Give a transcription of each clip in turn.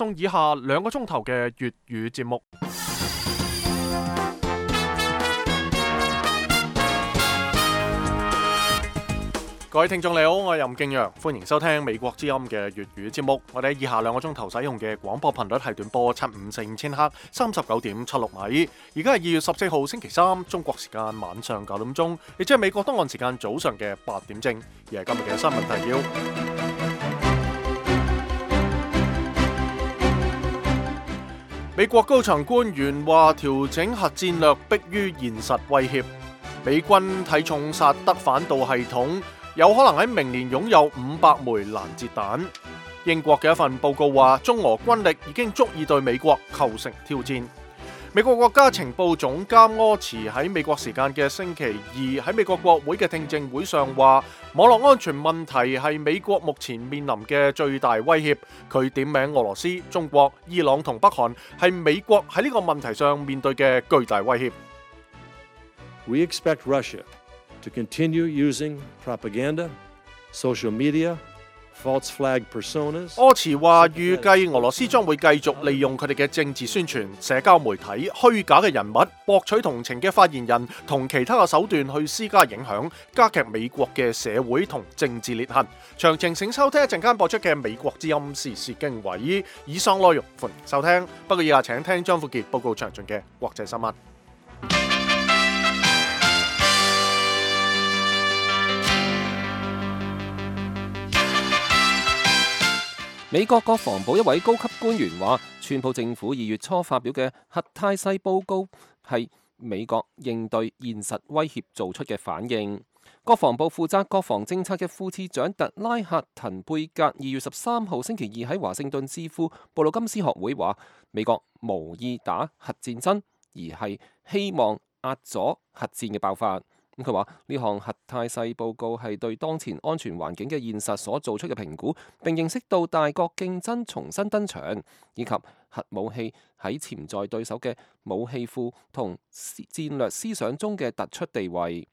送以下2個鐘頭嘅粵語節目。各位聽眾你好，我係任敬陽，歡迎收聽美國之音嘅粵語節目。我哋以下2個鐘頭使用嘅廣播頻率係短波7545千赫39.76米。而家係2月14號星期三，中國時間晚上9點鐘，亦即係美國東岸時間早上嘅8點正。而係今日嘅新聞提要。美國高層官員話調整核戰略迫於現實威脅。美軍睇重薩德反導系統，有可能喺明年擁有500枚攔截彈。英國嘅一份報告話，中俄軍力已經足以對美國構成挑戰。美國國家情報總監柯茨喺美國時間嘅星期二喺美國國會嘅聽證會上話，網絡安全問題係美國目前面臨嘅最大威脅。佢點名俄羅斯、中國、伊朗同北韓係美國喺呢個問題上面對嘅巨大威脅。We expect Russia to continue using propaganda, social media, false flag personas. 柯茨話預計俄羅斯將會繼續利用佢哋嘅政治宣傳、社交媒體、虛假嘅人物、博取同情嘅發言人同其他嘅手段去施加影響，加劇美國嘅社會同政治裂痕。詳情請收聽一陣間播出嘅美國之音時事經緯。以上內容歡迎收聽，不過以下請聽張富傑報告詳盡嘅國際新聞。美國國防部一位高級官員話，川普政府2月初發表嘅核態勢報告係美國應對現實威脅做出嘅反應。國防部負責國防政策嘅副次長特拉克滕貝格2月13號星期二喺華盛頓智庫布魯金斯學會話，美國無意打核戰爭，而係希望壓阻核戰嘅爆發。佢話呢項核態勢報告係對當前安全環境嘅現實所做出嘅評估，並認識到大國競爭重新登場，以及核武器喺潛在對手嘅武器庫同戰略思想中嘅突出地位。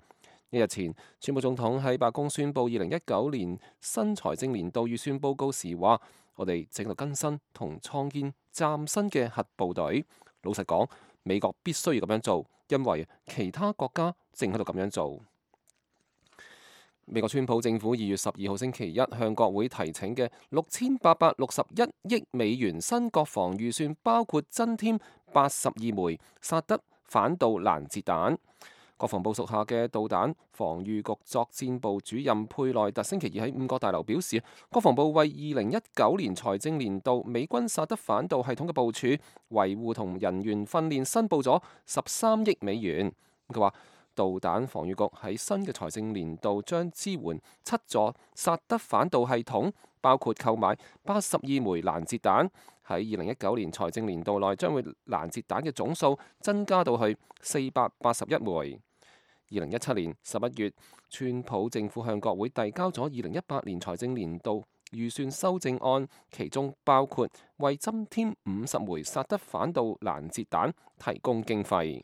1日前，川普總統喺白宮宣布2019年新財政年度預算報告時話：我哋正喺度更新同創建嶄新嘅核部隊。老實講，美國必須要咁樣做，因為其他國家正喺度咁樣做。美國川普政府2月12號星期一向國會提請嘅6861億美元新國防預算，包括增添82枚薩德反導攔截彈。國防部屬下嘅導彈防禦局作戰部主任佩內特星期二喺5角大樓表示，國防部為2019年財政年度美軍薩德反導系統嘅部署、維護同人員訓練申報咗13億美元。佢話，導彈防禦局喺新嘅財政年度將支援7座薩德反導系統，包括購買82枚攔截彈。喺2019年財政年度內，將會攔截彈嘅總數增加到去481枚。2017年11月，川普政府向國會遞交咗2018年財政年度預算修正案，其中包括為增添50枚薩德反導攔截彈提供經費。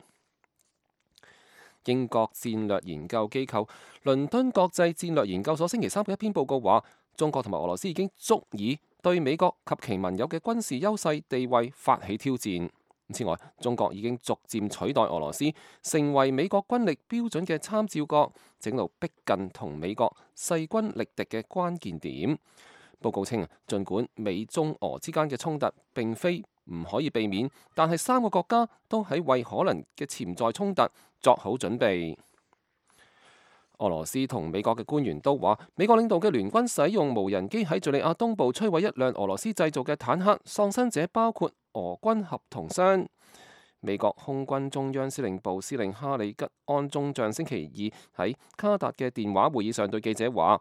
英國戰略研究機構倫敦國際戰略研究所星期三嘅一篇報告話，中國同埋俄羅斯已經足以對美國及其盟友嘅軍事優勢地位發起挑戰。此外，中國已經逐漸取代俄羅斯，成為美國軍力標準嘅參照國，整路逼近同美國勢均力敵嘅關鍵點。報告稱，儘管美中俄之間嘅衝突並非唔可以避免，但係3個國家都喺為可能嘅潛在衝突作好準備。俄羅斯同美國嘅官員都話，美國領導嘅聯軍使用無人機喺敘利亞東部摧毀一輛俄羅斯製造嘅坦克，喪生者包括俄軍合同傷。美國空軍中央司令部司令哈里吉安中將星期二喺卡達嘅電話會議上對記者話，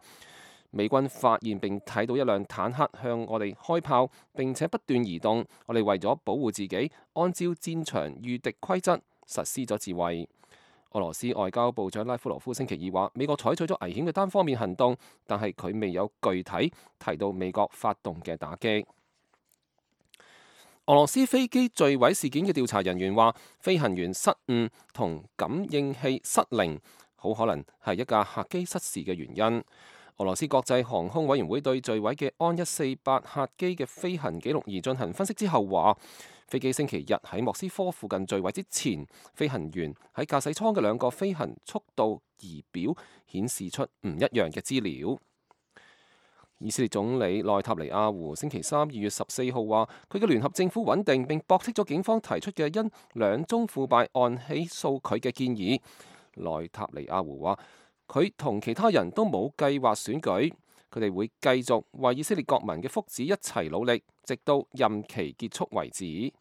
美軍發現並睇到一輛坦克向我哋開炮，並且不斷移動。我哋為咗保護自己，按照戰場禦敵規則實施咗自衛。俄羅斯外交部長拉夫羅夫星期二話，美國採取咗危險嘅單方面行動，但係佢未有具體提到美國發動嘅打擊。俄羅斯飛機墜毀事件嘅調查人員話，飛行員失誤同感應器失靈，好可能係一架客機失事嘅原因。俄羅斯國際航空委員會對墜毀嘅安148客機嘅飛行記錄儀進行分析之後話，飛機星期日喺莫斯科附近墜毀之前，飛行員喺駕駛艙嘅兩個飛行速度儀表顯示出唔一樣嘅資料。以色列總理內塔尼亞胡星期三2月14號話，佢嘅聯合政府穩定，並駁斥咗警方提出嘅因兩宗腐敗案起訴佢嘅建議。內塔尼亞胡話，佢同其他人都冇計劃選舉，佢哋會繼續為以色列國民嘅福祉一齊努力，直到任期結束為止。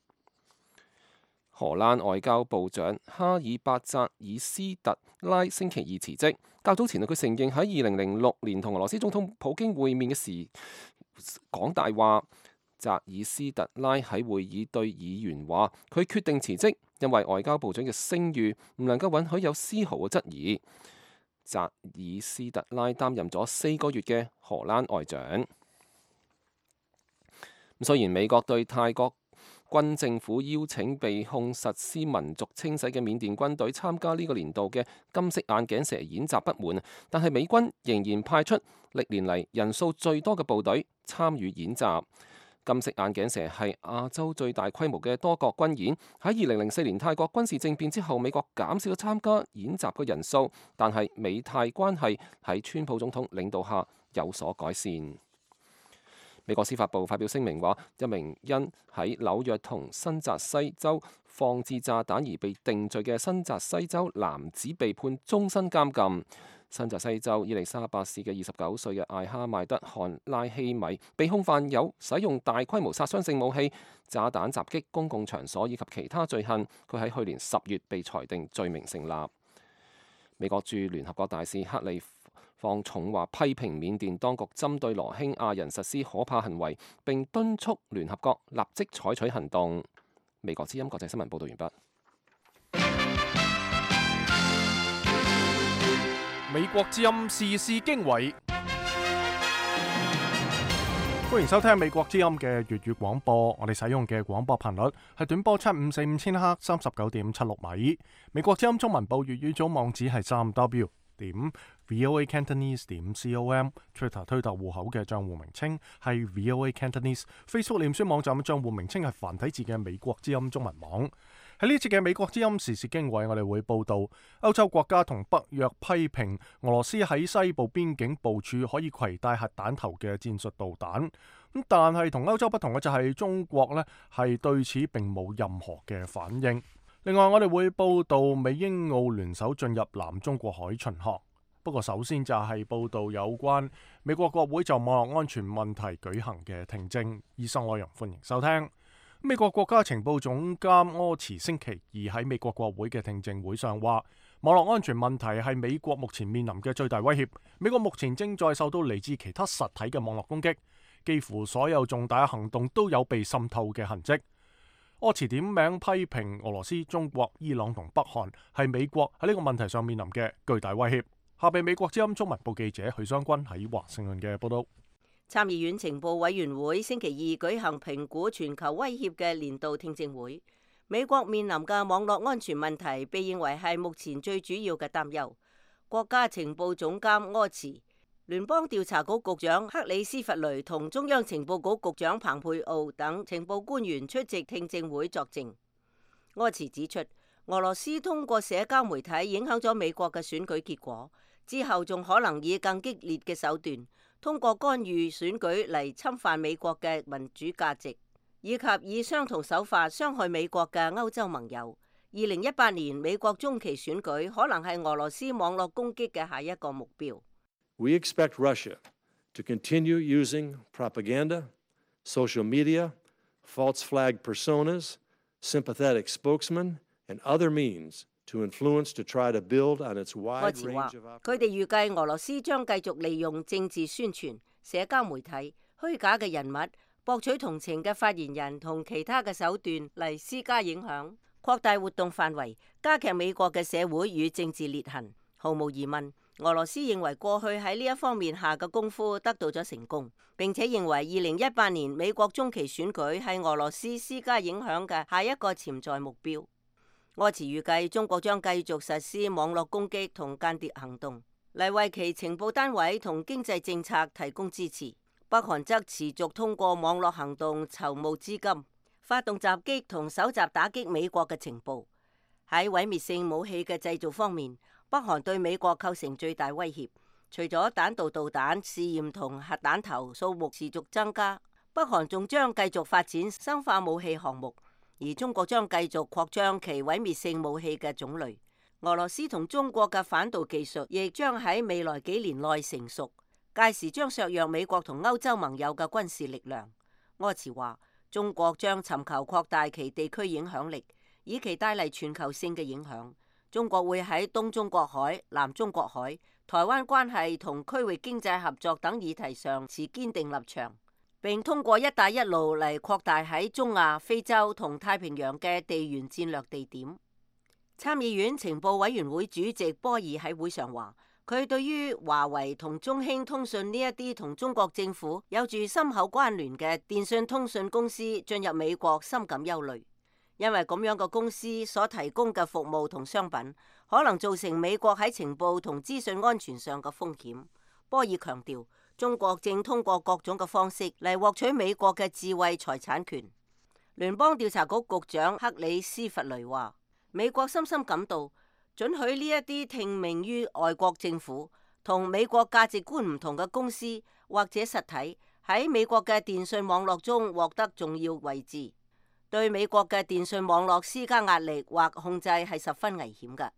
荷蘭外交部長哈爾伯澤爾斯特拉星期二辭職。較早前佢承認喺2006年同俄羅斯總統普京會面嘅時講大話。澤爾斯特拉喺會議對議員話，佢決定辭職，因為外交部長嘅聲譽唔能夠允許有絲毫嘅質疑。澤爾斯特拉擔任咗4個月嘅荷蘭外長。雖然美國對泰國軍政府邀請被控實施民族清洗嘅緬甸軍隊參加呢個年度嘅金色眼鏡蛇演習不滿，但係美軍仍然派出歷年嚟人數最多嘅部隊參與演習。金色眼鏡蛇係亞洲最大規模嘅多國軍演。喺2004年泰國軍事政變之後，美國減少咗參加演習嘅人數，但係美泰關係喺川普總統領導下有所改善。美國司法部發表聲明話，一名因喺紐約同新澤西州放置炸彈而被定罪嘅新澤西州男子被判終身監禁。新澤西州伊利沙伯市嘅29歲嘅艾哈邁德漢拉希米被控犯有使用大規模殺傷性武器、炸彈襲擊公共場所以及其他罪行。佢喺去年10月被裁定罪名成立。美國駐聯合國大使克利放重話批評緬甸當局針對羅興亞人實施可怕行為，並敦促聯合國立即採取行動。美國之音國際新聞報道完畢。美國之音時事經緯，歡迎收聽美國之音嘅粵語廣播。我哋使用嘅廣播頻率係短波7545千赫39.76米。美國之音中文部粵語組網址係3w.voacantonese.com。Twitter 推特戶口嘅賬戶名稱係 VOA Cantonese。Facebook 臉書網站嘅賬戶名稱係繁體字嘅美國之音中文網。喺呢節嘅美國之音時事經緯，我哋會報道歐洲國家同北約批評俄羅斯喺西部邊境部署可以攜帶核彈頭嘅戰術導彈。但係同歐洲不同嘅就係中國呢係對此並冇任何嘅反應。另外，我哋會報道美英澳聯手進入南中國海巡航。不過首先就係報道有關美國國會就網絡安全問題舉行嘅聽證。以上內容歡迎收聽。美國國家情報總監柯茨星期二喺美國國會嘅聽證會上話，網絡安全問題係美國目前面臨嘅最大威脅。美國目前正在受到嚟自其他實體嘅網絡攻擊，幾乎所有重大行動都有被滲透嘅痕跡。柯茨點名批評俄羅斯、中國、伊朗同北韓係美國喺呢個問題上面臨嘅巨大威脅。下被美國之音中文部記者許湘君喺華盛頓嘅報道。參議院情報委員會星期二舉行評估全球威脅嘅年度聽證會。美國面臨嘅網絡安全問題被認為係目前最主要嘅擔憂。國家情報總監柯茨、聯邦調查局局長克里斯弗雷同中央情報局局長彭佩奧等情報官員出席聽證會作證。柯茨指出，俄羅斯通過社交媒體影響咗美國嘅選舉結果，之後仲可能以更激烈嘅手段通過干預選舉嚟侵犯美國嘅民主價值，以及以相同手法傷害美國嘅歐洲盟友。2018年美國中期選舉可能係俄羅斯網絡攻擊嘅下一個目標。We expect Russia to continue using propaganda, social media, false flag personas, sympathetic spokesmen, and other means to influence to try to build on its wide range of operations. 佢哋預計俄羅斯將繼續利用政治宣傳、社交媒體、虛假嘅人物、博取同情嘅發言人同其他嘅手段嚟施加影響，擴大活動範圍，加劇美國嘅社會與政治裂痕。毫無疑問，俄羅斯認為過去喺呢一方面下嘅功夫得到咗成功，並且認為2018年美國中期選舉係俄羅斯施加影響嘅下一個潛在目標。柯茨預計中國將繼續實施網絡攻擊同間諜行動。嚟為其情報單位同經濟政策提供支持。北韓則持續通過網絡行動籌募資金，發動襲擊同搜集打擊美國嘅情報。喺毀滅性武器嘅製造方面，北韓對美國構成最大威脅。除咗彈道導彈試驗同核彈頭數目持續增加，北韓仲將繼續發展生化武器項目，而中國將繼續擴張其毀滅性武器嘅種類。俄羅斯同中國嘅反導技術亦將喺未來幾年內成熟，屆時將削弱美國同歐洲盟友嘅軍事力量。柯茨話，中國將尋求擴大其地區影響力，以期帶嚟全球性嘅影響。中國會喺東中國海、南中國海、台灣關係同區域經濟合作等議題上持堅定立場，並通過一帶一路嚟擴大喺中亞、非洲同太平洋嘅地緣戰略地點。參議院情報委員會主席波爾喺會上話，佢對於華為同中興通訊呢一啲同中國政府有住深厚關聯嘅電信通訊公司進入美國深感憂慮。因為咁樣嘅公司所提供嘅服務同商品，可能造成美國喺情報同資訊安全上嘅風險。波爾強調，中國正通過各種嘅方式嚟獲取美國嘅智慧財產權。聯邦調查局局長克里斯弗雷話，美國深深感到，准許呢一啲聽命於外國政府同美國價值觀唔同嘅公司或者實體喺美國嘅電信網絡中獲得重要位置，對美國嘅電信網絡施加壓力或控制係十分危險嘅。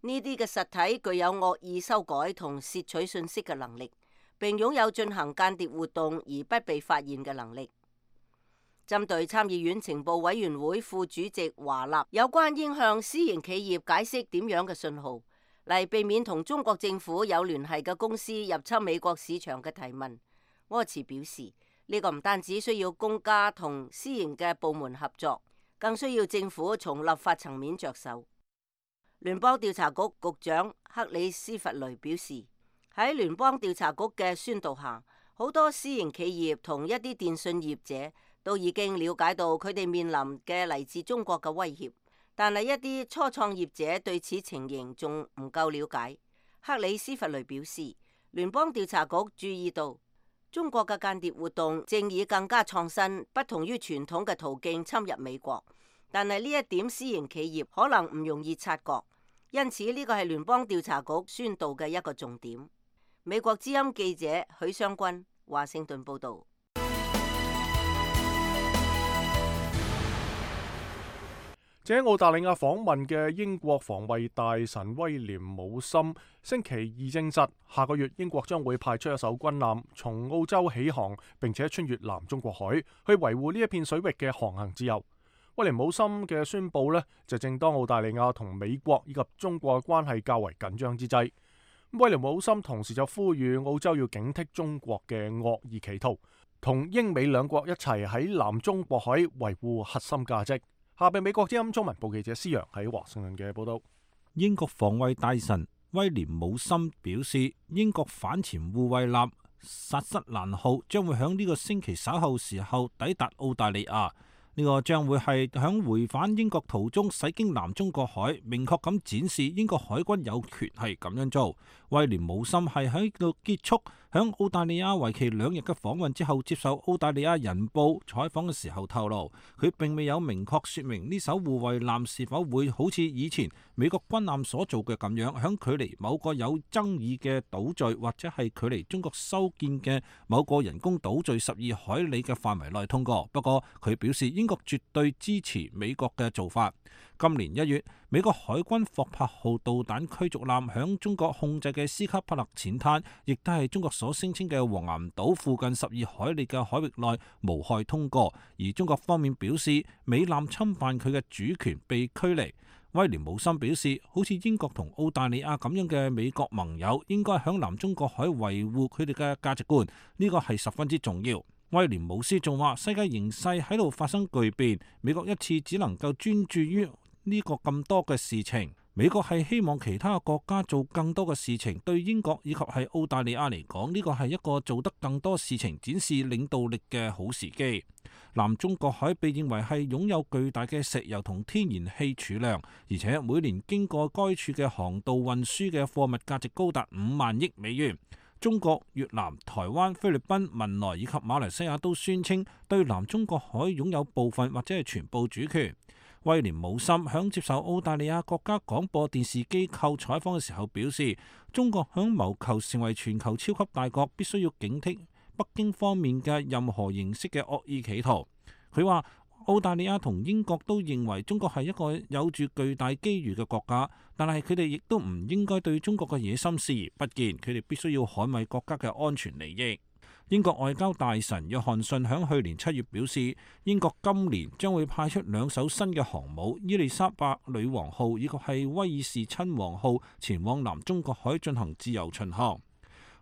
呢啲嘅實體具有惡意修改同竊取信息嘅能力，並擁有進行間諜活動而不被發現嘅能力。針對參議院情報委員會副主席華納有關應向私營企業解釋點樣嘅信號，嚟避免同中國政府有聯繫嘅公司入侵美國市場嘅提問，柯茨表示，呢個唔單止需要公家同私營嘅部門合作，更需要政府從立法層面着手。聯邦調查局局長克里斯弗雷表示，喺聯邦調查局嘅宣導下，好多私營企業同一啲電信業者都已經了解到佢哋面臨嘅嚟自中國嘅威脅，但係一啲初創業者對此情形仲唔夠了解。克里斯弗雷表示，聯邦調查局注意到中國嘅間諜活動正以更加創新、不同於傳統嘅途徑侵入美國，但係呢一點私營企業可能唔容易察覺，因此呢個係聯邦調查局宣導嘅一個重點。美國之音記者許湘君，華盛頓報道。喺澳大利亞訪問嘅英國防衛大臣威廉姆森星期二證實，下個月英國將會派出一艘軍艦從澳洲起航，並且穿越南中國海，去維護呢一片水域嘅航行自由。威廉姆森嘅宣佈呢，就正當澳大利亞同美國以及中國嘅關係較為緊張之際。威廉姆森同時就呼籲澳洲要警惕中國嘅惡意企圖，同英美兩國一齊喺南中國海維護核心價值。下邊美國之音中文部記者施洋喺華盛頓嘅報道。英國防衛大臣威廉姆森表示，英國反潛護衛艦薩瑟蘭號將會喺呢個星期稍後時候抵達澳大利亞。呢個將會係響回返英國途中駛經南中國海，明確咁展示英國海軍有權係咁樣做。威廉姆森係喺度結束響澳大利亞為期2日嘅訪問之後，接受澳大利亞人報採訪嘅時候透露，佢並未有明確說明呢艘護衛艦是否會好似以前美國軍艦所做嘅咁樣，響距離某個有爭議嘅島嶼或者係距離中國修建嘅某個人工島嶼12海里嘅範圍內通過。不過佢表示，英國絕對支持美國嘅做法。今年1月，美國海軍霍珀號導彈驅逐艦響中國控制嘅斯卡帕勒淺灘，亦都係中國所聲稱嘅黃岩島附近12海里嘅海域內無害通過，而中國方面表示美艦侵犯佢嘅主權被驅離。威廉姆森表示，好似英國同澳大利亞咁樣嘅美國盟友應該響南中國海維護佢哋嘅價值觀，呢個係十分之重要。威廉姆斯仲話，世界形勢喺度發生巨變，美國一次只能夠專注於呢個咁多嘅事情，美國係希望其他國家做更多嘅事情，對英國以及係澳大利亞嚟講，呢個係一個做得更多事情、展示領導力嘅好時機。南中國海被認為係擁有巨大嘅石油同天然氣儲量，而且每年經過該處嘅航道運輸嘅貨物價值高達5萬億美元。中國、越南、台灣、菲律賓、文萊以及馬來西亞都宣稱對南中國海擁有部分或者係全部主權。威廉姆森響接受澳大利亞國家廣播電視機構採訪嘅時候表示，中國響謀求成為全球超級大國，必須要警惕北京方面嘅任何形式嘅惡意企圖。佢話澳大利亞同英國都認為中國係一個有住巨大機遇嘅國家，但係佢哋亦都唔應該對中國嘅野心視而不見，佢哋必須要捍衛國家嘅安全利益。英國外交大臣約翰遜響去年7月表示，英國今年將會派出2艘新嘅航母伊麗莎白女王號以及係威爾士親王號前往南中國海進行自由巡航。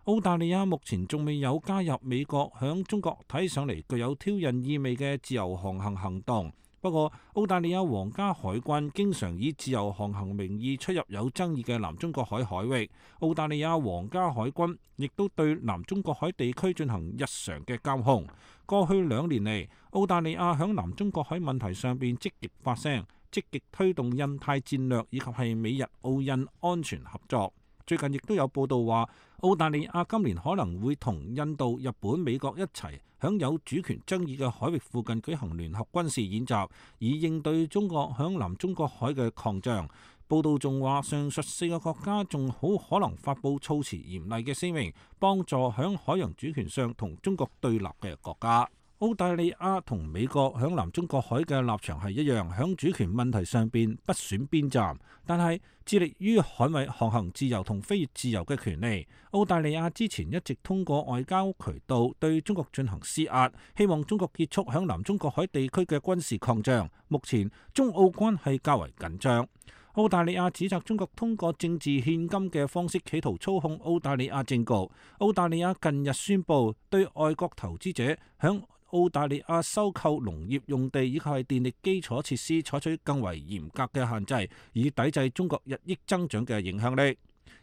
澳大利亞目前仲未有加入美國響中國睇上嚟具有挑釁意味嘅自由航行行動。不過，澳大利亞皇家海軍經常以自由航行名義出入有爭議嘅南中國海海域。澳大利亞皇家海軍亦都對南中國海地區進行日常嘅監控。過去2年嚟，澳大利亞響南中國海問題上邊積極發聲，積極推動印太戰略以及係美日澳印安全合作。最近亦都有報道話，澳大利亞今年可能會同印度、日本、美國一齊響有主權爭議嘅海域附近舉行聯合軍事演習，以應對中國響南中國海嘅擴張。報道仲話，上述4個國家仲好可能發布措辭嚴厲嘅聲明，幫助響海洋主權上同中國對立嘅國家。澳大利亞同美國響南中國海嘅立場係一樣，響主權問題上邊不選邊站，但係致力於捍衛航行自由同飛越自由嘅權利。澳大利亞之前一直通過外交渠道對中國進行施壓，希望中國結束響南中國海地區嘅軍事擴張。目前中澳關係較為緊張。澳大利亞指責中國通過政治獻金嘅方式企圖操控澳大利亞政局。澳大利亞近日宣布對外國投資者響澳大利亞收購農業用地以及係電力基礎設施採取更為嚴格嘅限制，以抵制中國日益增長嘅影響力。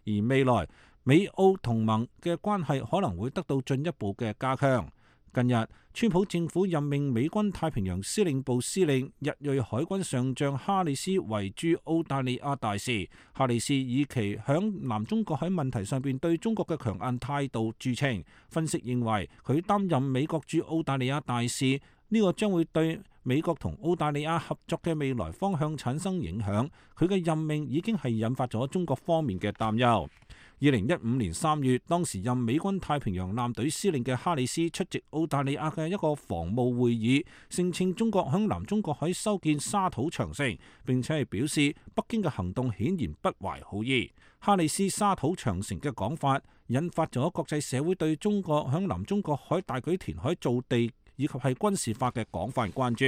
而未來美澳同盟嘅關係可能會得到進一步嘅加強。近日，川普政府任命美軍太平洋司令部司令日裔海軍上將哈里斯為駐澳大利亞大使。哈里斯以其響南中國海問題上邊對中國嘅強硬態度著稱。分析認為，佢擔任美國駐澳大利亞大使，呢個將會對美國同澳大利亞合作嘅未來方向產生影響。佢嘅任命已經係引發咗中國方面嘅擔憂。2015年3月，當時任美軍太平洋艦隊司令嘅哈里斯出席澳大利亞嘅一個防務會議，聲稱中國響南中國海修建沙土長城，並且係表示北京嘅行動顯然不懷好意。哈里斯沙土長城嘅講法引發咗國際社會對中國響南中國海大舉填海造地以及係軍事化嘅廣泛關注。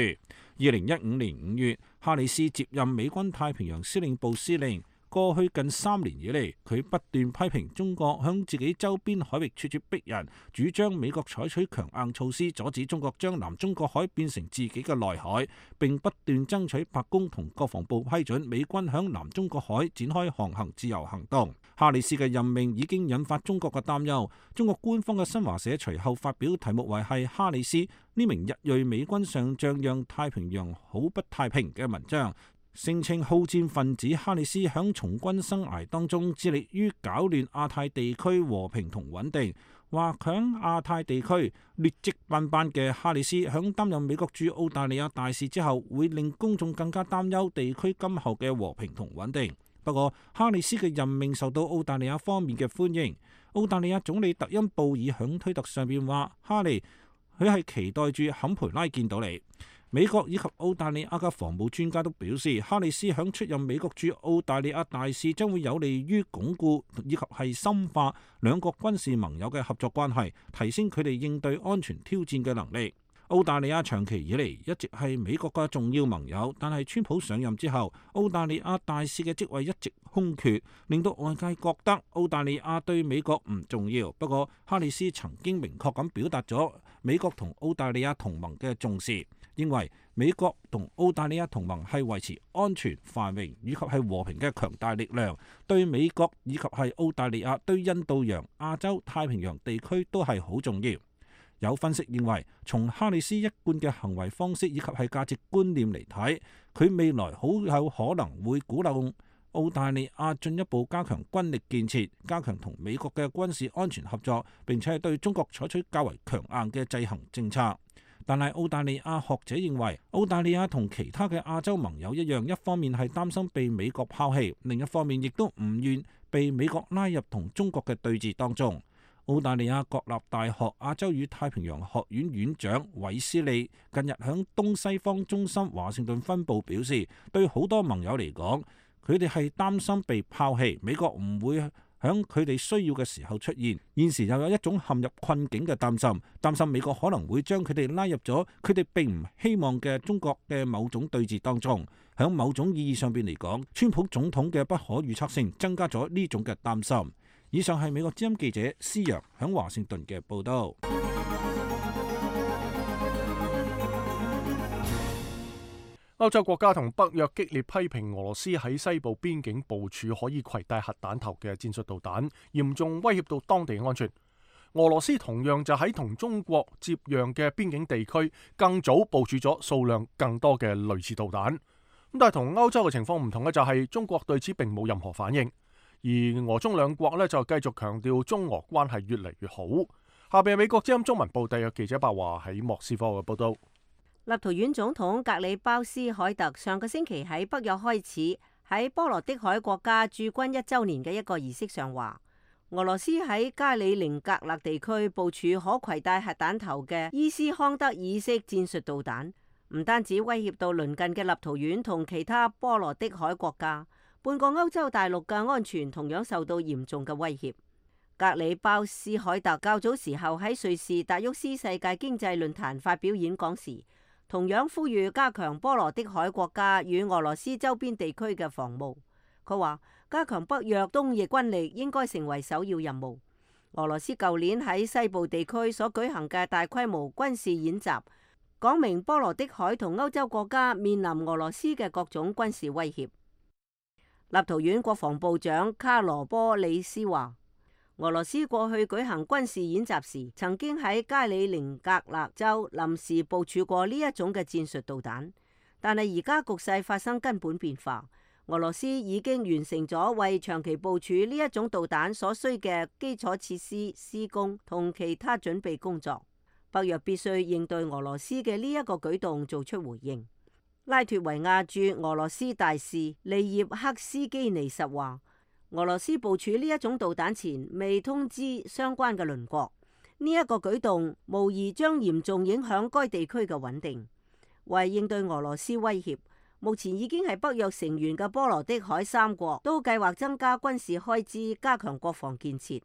2015年5月，哈里斯接任美軍太平洋司令部司令。過去近3年以嚟，佢不斷批評中國向自己周邊海域咄咄逼人，主張美國採取強硬措施阻止中國將南中國海變成自己嘅內海，並不斷爭取白宮同國防部批准美軍向南中國海展開航行自由行動。哈里斯嘅任命已經引發中國嘅擔憂。中國官方嘅新華社隨後發表題目為係哈里斯呢名日裔美軍上將讓太平洋好不太平嘅文章。聲稱好戰分子哈里斯響從軍生涯當中致力於攪亂亞太地區和平同穩定，話響亞太地區劣跡斑斑嘅哈里斯響擔任美國駐澳大利亞大使之後，會令公眾更加擔憂地區今後嘅和平同穩定。不過，哈里斯嘅任命受到澳大利亞方面嘅歡迎。澳大利亞總理特恩布爾響推特上邊話：哈利，佢係期待住坎培拉見到你。美國以及澳大利亞嘅防務專家都表示，哈里斯響出任美國駐澳大利亞大使將會有利於鞏固以及係深化兩國軍事盟友嘅合作關係，提升佢哋應對安全挑戰嘅能力。澳大利亞長期以嚟一直係美國嘅重要盟友，但係川普上任之後，澳大利亞大使嘅職位一直空缺，令到外界覺得澳大利亞對美國唔重要。不過，哈里斯曾經明確咁表達咗美國同澳大利亞同盟嘅重視。認為美國同澳大利亞同盟係維持安全、繁榮以及係和平嘅強大力量，對美國以及係澳大利亞對印度洋、亞洲、太平洋地區都係好重要。有分析認為，從哈里斯一貫嘅行為方式以及係價值觀念嚟睇，佢未來好有可能會鼓勵澳大利亞進一步加強軍力建設，加強同美國嘅軍事安全合作，並且係對中國採取較為強硬嘅制衡政策。但係澳大利亞學者認為，澳大利亞同其他嘅亞洲盟友一樣，一方面係擔心被美國拋棄，另一方面亦都唔願被美國拉入同中國嘅對峙當中。澳大利亞國立大學亞洲與太平洋學院院長韋斯利近日響東西方中心華盛頓分部表示，對好多盟友嚟講，佢哋係擔心被拋棄，美國唔會響佢哋需要嘅時候出現。現時又有一種陷入困境嘅擔心美國可能會將佢哋拉入咗佢哋並唔希望嘅中國嘅某種對峙當中。響某種意義上邊嚟講，川普總統嘅不可預測性增加咗呢種嘅擔心。以上係美國之音記者施陽響華盛頓嘅報道。歐洲國家同北約激烈批評俄羅斯喺西部邊境部署可以攜帶核彈頭嘅戰術導彈，嚴重威脅到當地安全。俄羅斯同樣就喺同中國接壤嘅邊境地區更早部署咗數量更多嘅類似導彈。咁但係同歐洲嘅情況唔同嘅就係中國對此並冇任何反應。而俄中兩國就繼續強調中俄關係越嚟越好。下邊係美國之音中文部特約記者白華喺莫斯科嘅報道。立陶宛總統格里鮑斯凱特上個星期喺北約開始喺波羅的海國家駐軍1週年嘅一個儀式上話，俄羅斯喺加里寧格勒地區部署可攜帶核彈頭嘅伊斯康德爾式戰術導彈，唔單止威脅到鄰近嘅立陶宛同其他波羅的海國家，半個歐洲大陸嘅安全同樣受到嚴重嘅威脅。格里鮑斯凱特較早時候喺瑞士達沃斯世界經濟論壇發表演講時，同樣呼籲加強波羅的海國家與俄羅斯周邊地區嘅防務。佢話加強北約東翼軍力應該成為首要任務。俄羅斯舊年喺西部地區所舉行嘅大規模軍事演習，講明波羅的海同歐洲國家面臨俄羅斯嘅各種軍事威脅。立陶宛國防部長卡羅波里斯話，俄羅斯過去舉行軍事演習時，曾經喺加里寧格勒州臨時部署過呢一種嘅戰術導彈，但係而家局勢發生根本變化，俄羅斯已經完成咗為長期部署呢一種導彈所需嘅基礎設施施工同其他準備工作。北約必須應對俄羅斯嘅呢一個舉動做出回應。拉脫維亞駐俄羅斯大使利葉克斯基尼什話，俄羅斯部署呢一種導彈前未通知相關嘅鄰國，呢一個舉動無疑將嚴重影響該地區嘅穩定。為應對俄羅斯威脅，目前已經係北約成員嘅波羅的海3國都計劃增加軍事開支，加強國防建設。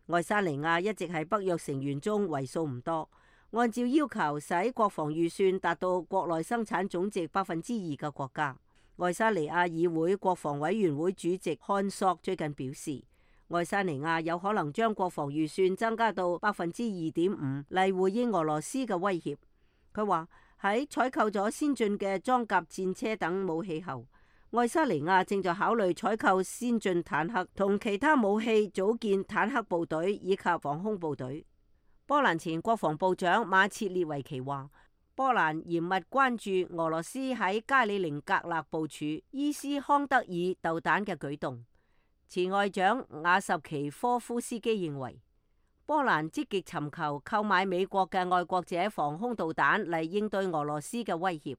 愛沙尼亞一直係北約成員中為數唔多按照要求使國防預算達到國內生產總值2%嘅國家。愛沙尼亞議會國防委員會主席漢索最近表示，愛沙尼亞有可能將國防預算增加到2.5%嚟回應俄羅斯嘅威脅。佢話喺採購咗先進嘅裝甲戰車等武器後，愛沙尼亞正在考慮採購先進坦克同其他武器，組建坦克部隊以及防空部隊。波蘭前國防部長馬切列維奇話，波蘭嚴密關注俄羅斯喺加里寧格勒部署伊斯康德爾導彈嘅舉動。前外長瓦什奇科夫斯基認為，波蘭積極尋求購買美國嘅愛國者防空導彈嚟應對俄羅斯嘅威脅。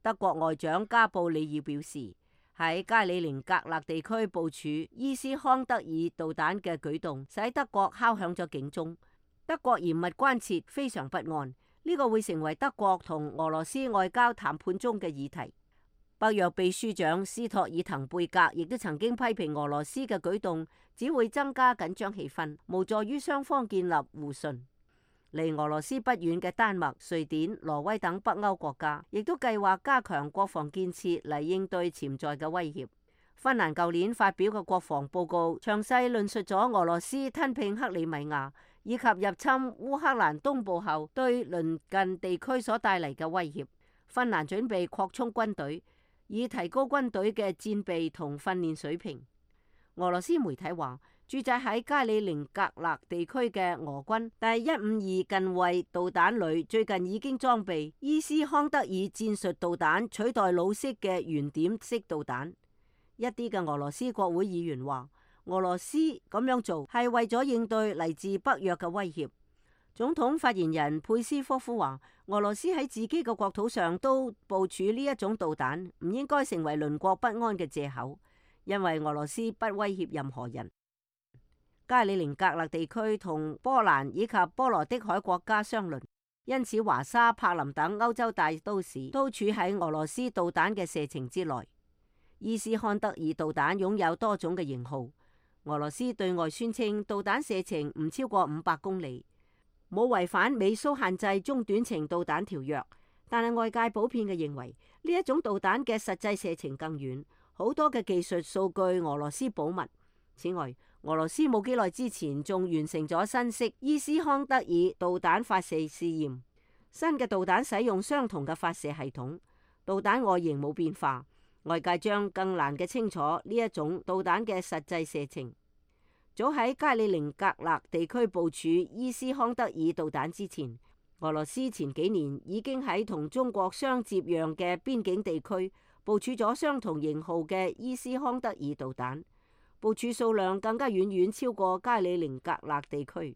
德國外長加布里爾表示，喺加里寧格勒地區部署伊斯康德爾導彈嘅舉動，使德國敲響咗警鐘。德國嚴密關切，非常不安，呢個會成為德國同俄羅斯外交談判中嘅議題。北約秘書長斯托爾滕貝格亦都曾經批評俄羅斯嘅舉動只會增加緊張氣氛，無助於雙方建立互信。離俄羅斯不遠嘅丹麥、瑞典、挪威等北歐國家亦都計劃加強國防建設嚟應對潛在嘅威脅。芬蘭舊年發表嘅國防報告詳細論述咗俄羅斯吞併克里米亞以及入侵烏克蘭東部後對鄰近地區所帶嚟嘅威脅。芬蘭準備擴充軍隊，以提高軍隊嘅戰備同訓練水平。俄羅斯媒體話，駐紮喺加里寧格勒地區嘅俄軍第152近衛導彈旅最近已經裝備伊斯康德爾戰術導彈，取代老式嘅圓點式導彈。一啲嘅俄羅斯國會議員話，俄羅斯咁樣做係為咗應對嚟自北約嘅威脅。總統發言人佩斯科夫話，俄羅斯喺自己嘅國土上都部署呢一種導彈，唔應該成為鄰國不安嘅借口，因為俄羅斯不威脅任何人。加里寧格勒地區同波蘭以及波羅的海國家相鄰，因此華沙、柏林等歐洲大都市都處喺俄羅斯導彈嘅射程之內。伊斯漢德爾導彈擁有多種嘅型號，俄羅斯對外宣稱導彈射程唔超過500公里，冇違反美蘇限制中短程導彈條約，但係外界普遍嘅認為呢一種導彈嘅實際射程更遠，好多嘅技術數據俄羅斯保密。此外，俄羅斯冇幾耐之前仲完成咗新式伊斯康德爾導彈發射試驗，新嘅導彈使用相同嘅發射系統，導彈外形冇變化，外界將更難嘅清楚呢一種導彈嘅實際射程。早喺加里寧格勒地區部署伊斯康德爾導彈之前，俄羅斯前幾年已經喺同中國相接壤嘅邊境地區部署咗相同型號嘅伊斯康德爾導彈，部署數量更加遠遠超過加里寧格勒地區。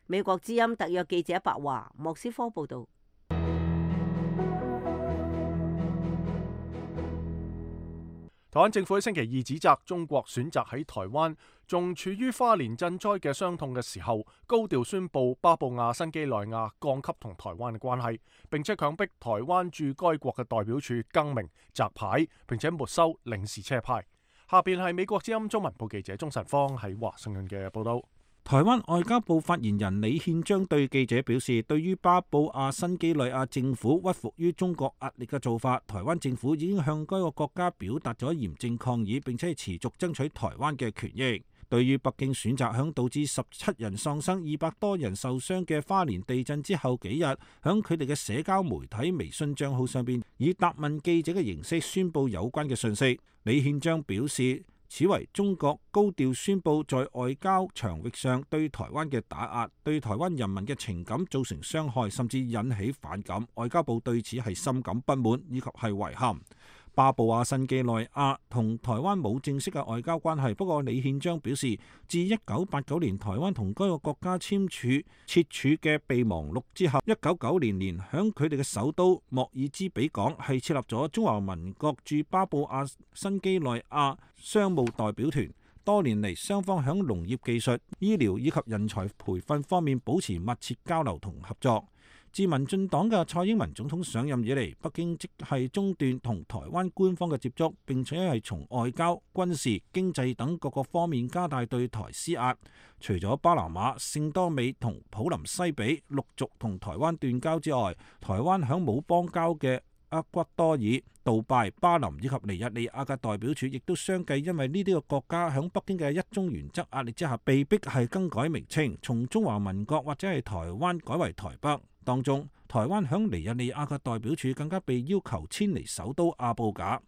美國之音特約記者白華，莫斯科報道。台灣政府喺星期二指責中國選擇喺台灣仲處於花蓮震災嘅傷痛嘅時候，高調宣布巴布亞新畿內亞降級同台灣嘅關係，並且強迫台灣駐該國嘅代表處更名摘牌，並且沒收領事車牌。下邊係美國之音中文部記者鍾晨芳喺華盛頓嘅報道。台灣外交部發言人李憲章對記者表示，對於巴布亞新畿內亞政府屈服於中國壓力嘅做法，台灣政府已經向該個國家表達咗嚴正抗議，並且持續爭取台灣嘅權益。對於北京選擇響導致17人喪生、200多人受傷嘅花蓮地震之後幾日，響佢哋嘅社交媒體微信賬號上邊以答問記者嘅形式宣布有關嘅訊息。李憲章表示，此為中國高調宣布在外交場域上對台灣嘅打壓，對台灣人民嘅情感造成傷害，甚至引起反感。外交部對此係深感不滿以及係遺憾。巴布亞新畿內亞同台灣冇正式嘅外交關係，不過李憲章表示，自1989年台灣同該個國家簽署設處嘅備忘錄之後，1990年響佢哋嘅首都莫爾茲比港係設立咗中華民國駐巴布亞新畿內亞商務代表團。多年嚟，雙方響農業技術、醫療以及人才培訓方面保持密切交流同合作。自民進黨嘅蔡英文總統上任以嚟，北京即係中斷同台灣官方嘅接觸，並且係從外交、軍事、經濟等各個方面加大對台施壓。除咗巴拿馬、聖多美同普林西比陸續同台灣斷交之外，台灣響冇邦交嘅厄瓜多爾、杜拜、巴林以及尼日利亞嘅代表處，亦都相繼因為呢啲個國家響北京嘅一中原則壓力之下，被逼係更改名稱，從中華民國或者係台灣改為台北。當中，台灣響尼日利亞嘅代表處更加被要求遷離首都阿布賈。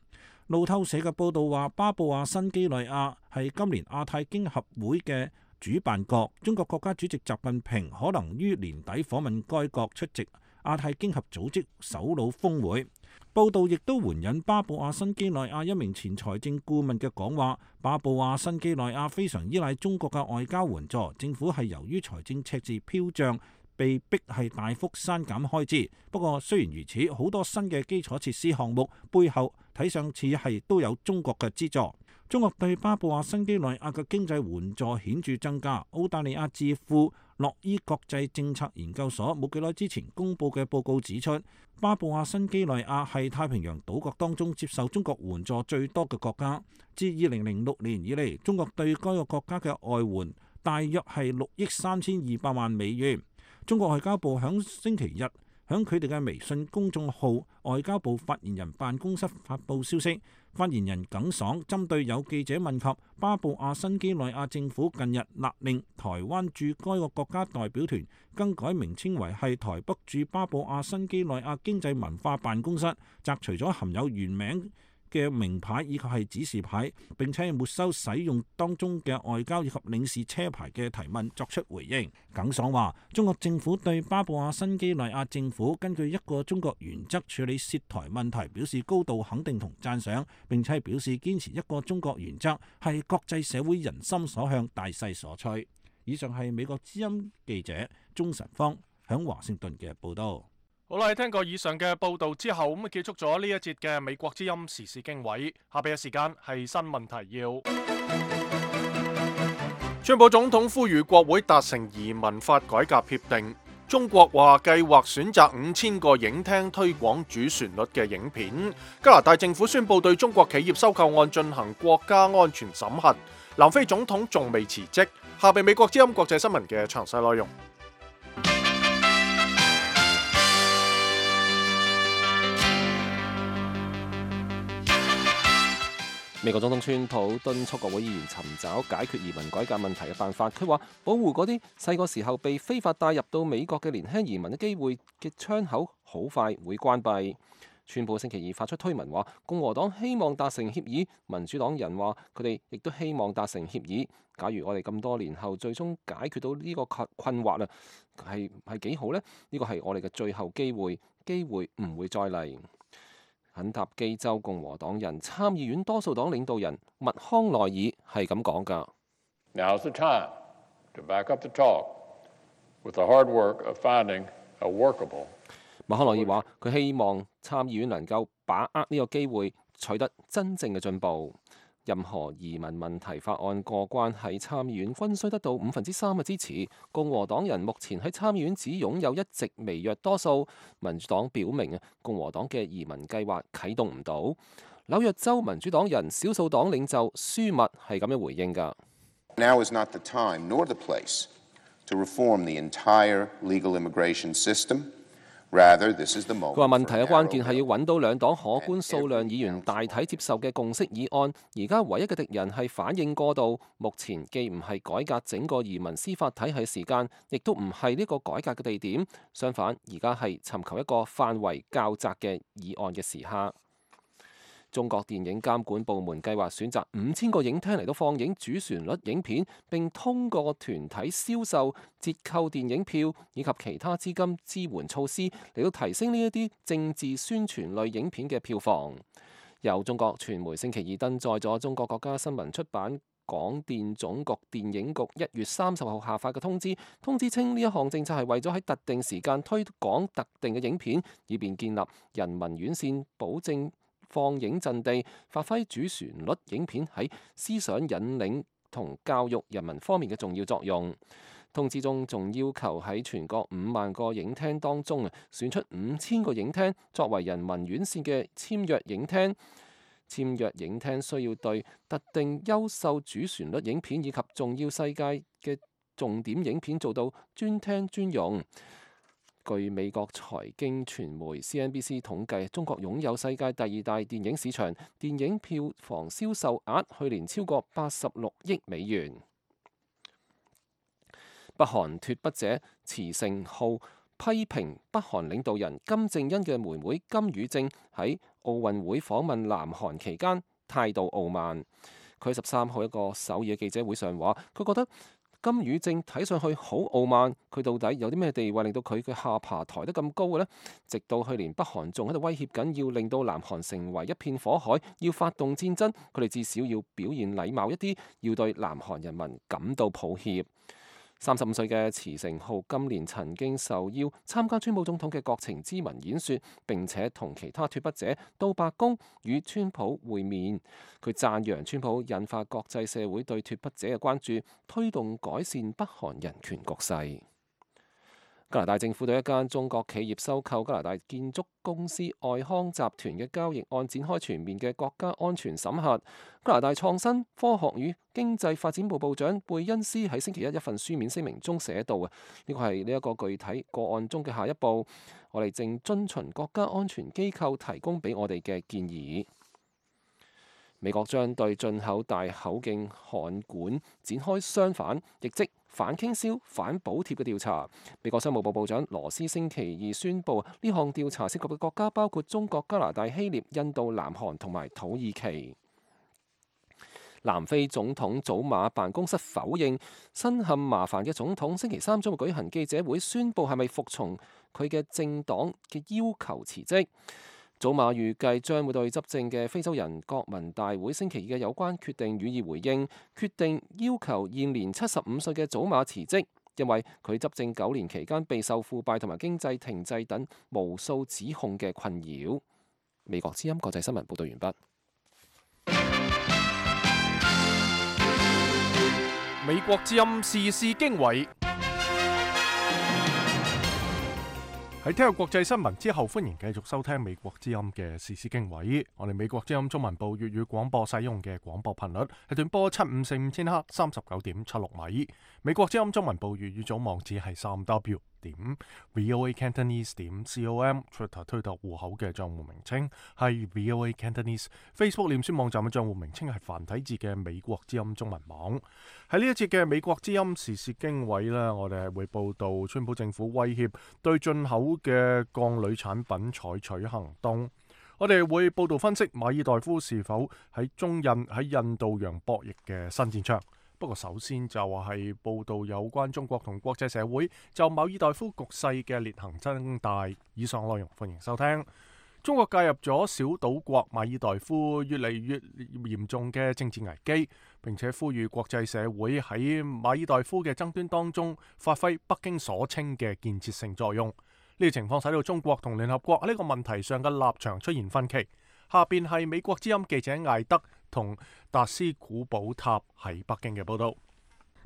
路透社嘅報道話，巴布亞新畿內亞係今年亞太經合會嘅主辦國，中國國家主席習近平可能於年底訪問該國出席亞太經合組織首腦峰會。報道亦都援引巴布亞新畿內亞一名前財政顧問嘅講話，巴布亞新畿內亞非常依賴中國嘅外交援助，政府係由於財政赤字飄漲，被逼係大幅刪減開支。不過雖然如此，好多新嘅基礎設施項目背後睇上似係都有中國嘅資助。中國對巴布亞新畿內亞嘅經濟援助顯著增加。澳大利亞智庫諾伊國際政策研究所冇幾耐之前公佈嘅報告指出，巴布亞新畿內亞係太平洋島國當中接受中國援助最多嘅國家。自2006年以嚟，中國對該個國家嘅外援大約係6億3200萬美元。中國外交部響星期日響佢哋嘅微信公眾號外交部發言人辦公室發布消息。發言人耿爽針對有記者問及巴布亞新畿內亞政府近日勒令台灣駐該個國家代表團更改名稱為係台北駐巴布亞新畿內亞經濟文化辦公室，摘除咗含有原名嘅名牌以及係指示牌，並且沒收使用當中嘅外交以及領事車牌嘅提問作出回應。耿爽話：中國政府對巴布亞新畿內亞政府根據一個中國原則處理涉台問題表示高度肯定同讚賞，並且表示堅持一個中國原則係國際社會人心所向、大勢所趨。以上係美國之音記者鍾晨芳響華盛頓嘅報道。好啦，聽過以上嘅報道之後，咁結束咗呢一節嘅美國之音時事經緯。下邊嘅時間係新聞提要。川普總統呼籲國會達成移民法改革協定。中國話計劃選擇5000個影廳推廣主旋律嘅影片。加拿大政府宣布對中國企業收購案進行國家安全審核。南非總統仲未辭職。下邊美國之音國際新聞嘅詳細內容。美國總統川普敦促國會議員尋找解決移民改革問題嘅辦法。佢話保護嗰啲細個時候被非法帶入到美國嘅年輕移民嘅機會嘅窗口好快會關閉。川普星期二發出推文話，共和黨希望達成協議，民主黨人話佢哋亦都希望達成協議。假如我哋咁多年後最終解決到呢個困惑啊，係幾好呢？呢個係我哋嘅最後機會，機會唔會再嚟。肯塔基州共和黨人參議院多數黨領導人麥康奈爾係咁講㗎。Now's the time to back up the talk with the hard work of finding a workable。麥康奈爾話：佢希望參議院能夠把握呢個機會，取得真正嘅進步。任何移民問題法案過關喺參議院均需得到3%嘅支持。共和黨人目前喺參議院只擁有一席微弱多數。民主黨表明共和黨嘅移民計劃啟動唔到。紐約州民主黨人少數黨領袖舒密係咁樣回應㗎。Now is not the time nor the place to reform the entire legal immigration system. Rather, this is the moment. 佢話問題嘅關鍵係要揾到兩黨可觀數量議員大體接受嘅共識議案。而家唯一嘅敵人係反應過度。目前既唔係改革整個移民司法體系時間，亦都唔係呢個改革嘅地點。相反，而家係尋求一個範圍較窄嘅議案嘅時刻。中國電影監管部門計劃選擇5000個影廳嚟到放映主旋律影片，並通過團體銷售、折扣電影票以及其他資金支援措施嚟到提升呢一啲政治宣傳類影片嘅票房。由中國傳媒星期二登載咗中國國家新聞出版廣電總局電影局1月30號下發嘅通知，通知稱呢一項政策係為咗喺特定時間推廣特定嘅影片，以便建立人民院線，保證放映陣地，發揮主旋律影片喺思想引領同教育人民方面嘅重要作用。通知中仲要求喺全國5萬個影廳當中選出5000個影廳作為人民院線嘅簽約影廳。簽約影廳需要對特定優秀主旋律影片以及重要世界嘅重點影片做到專聽專用。據美國財經傳媒 CNBC 統計，中國擁有世界第2大電影市場，電影票房銷售額去年超過86億美元。北韓脫北者慈成浩批評北韓領導人金正恩嘅妹妹金與正喺奧運會訪問南韓期間態度傲慢。佢13號一個首爾嘅記者會上話，佢覺得金與正睇上去好傲慢，佢到底有啲咩地位令到佢嘅下巴抬得咁高嘅呢？直到去年北韓仲喺度威脅緊要令到南韓成為一片火海，要發動戰爭，佢哋至少要表現禮貌一啲，要對南韓人民感到抱歉。35歲嘅慈成浩今年曾經受邀參加川普總統嘅國情咨文演說，並且同其他脫北者到白宮與川普會面。佢讚揚川普引發國際社會對脫北者嘅關注，推動改善北韓人權局勢。加拿大政府對一間中國企業收購加拿大建築公司愛康集團嘅交易案展開全面嘅國家安全審核。加拿大創新、科學與經濟發展部部長貝恩斯喺星期一份書面聲明中寫道啊，呢個係呢一個具體個案中嘅下一步，我哋正遵循國家安全機構提供俾我哋嘅建議。美國將對進口大口徑焊管展開相反，亦即反傾銷、反補貼嘅調查。美國商務部部長羅斯星期二宣布，呢項調查涉及嘅國家包括中國、加拿大、希臘、印度、南韓同埋土耳其。南非總統祖馬辦公室否認身陷麻煩嘅總統星期三將會舉行記者會，宣布係咪服從佢嘅政黨嘅要求辭職。祖馬預計將會對執政嘅非洲人國民大會星期二嘅有關決定予以回應，決定要求現年75歲嘅祖馬辭職，因為佢執政9年期間備受腐敗同埋經濟停滯等無數指控嘅困擾。美國之音國際新聞報道完畢。美國之音時事經緯。喺聽日國際新聞之後，歡迎繼續收聽美國之音嘅時事經緯。我哋美國之音中文部粵語廣播使用嘅廣播頻率係短波7545千赫39.76米。美國之音中文部粵語組網址係3w.voacantonese.com。Twitter 推特戶口嘅賬戶名稱係 VOA Cantonese。Facebook 臉書網站嘅賬戶名稱係繁體字嘅美國之音中文網。喺呢一節嘅美國之音時事經緯呢，我哋係會報道川普政府威脅對進口嘅鋼鋁產品採取行動。我哋會報道分析馬爾代夫是否喺中印喺印度洋博弈嘅新戰場。不過首先就係報道有關中國同國際社會就馬爾代夫局勢嘅裂痕增大。以上內容歡迎收聽。中國介入咗小島國馬爾代夫越嚟越嚴重嘅政治危機，並且呼籲國際社會喺馬爾代夫嘅爭端當中發揮北京所稱嘅建設性作用。呢個情況使到中國同聯合國喺呢個問題上嘅立場出現分歧。下邊係美國之音記者艾德同達斯古堡塔喺北京嘅報道。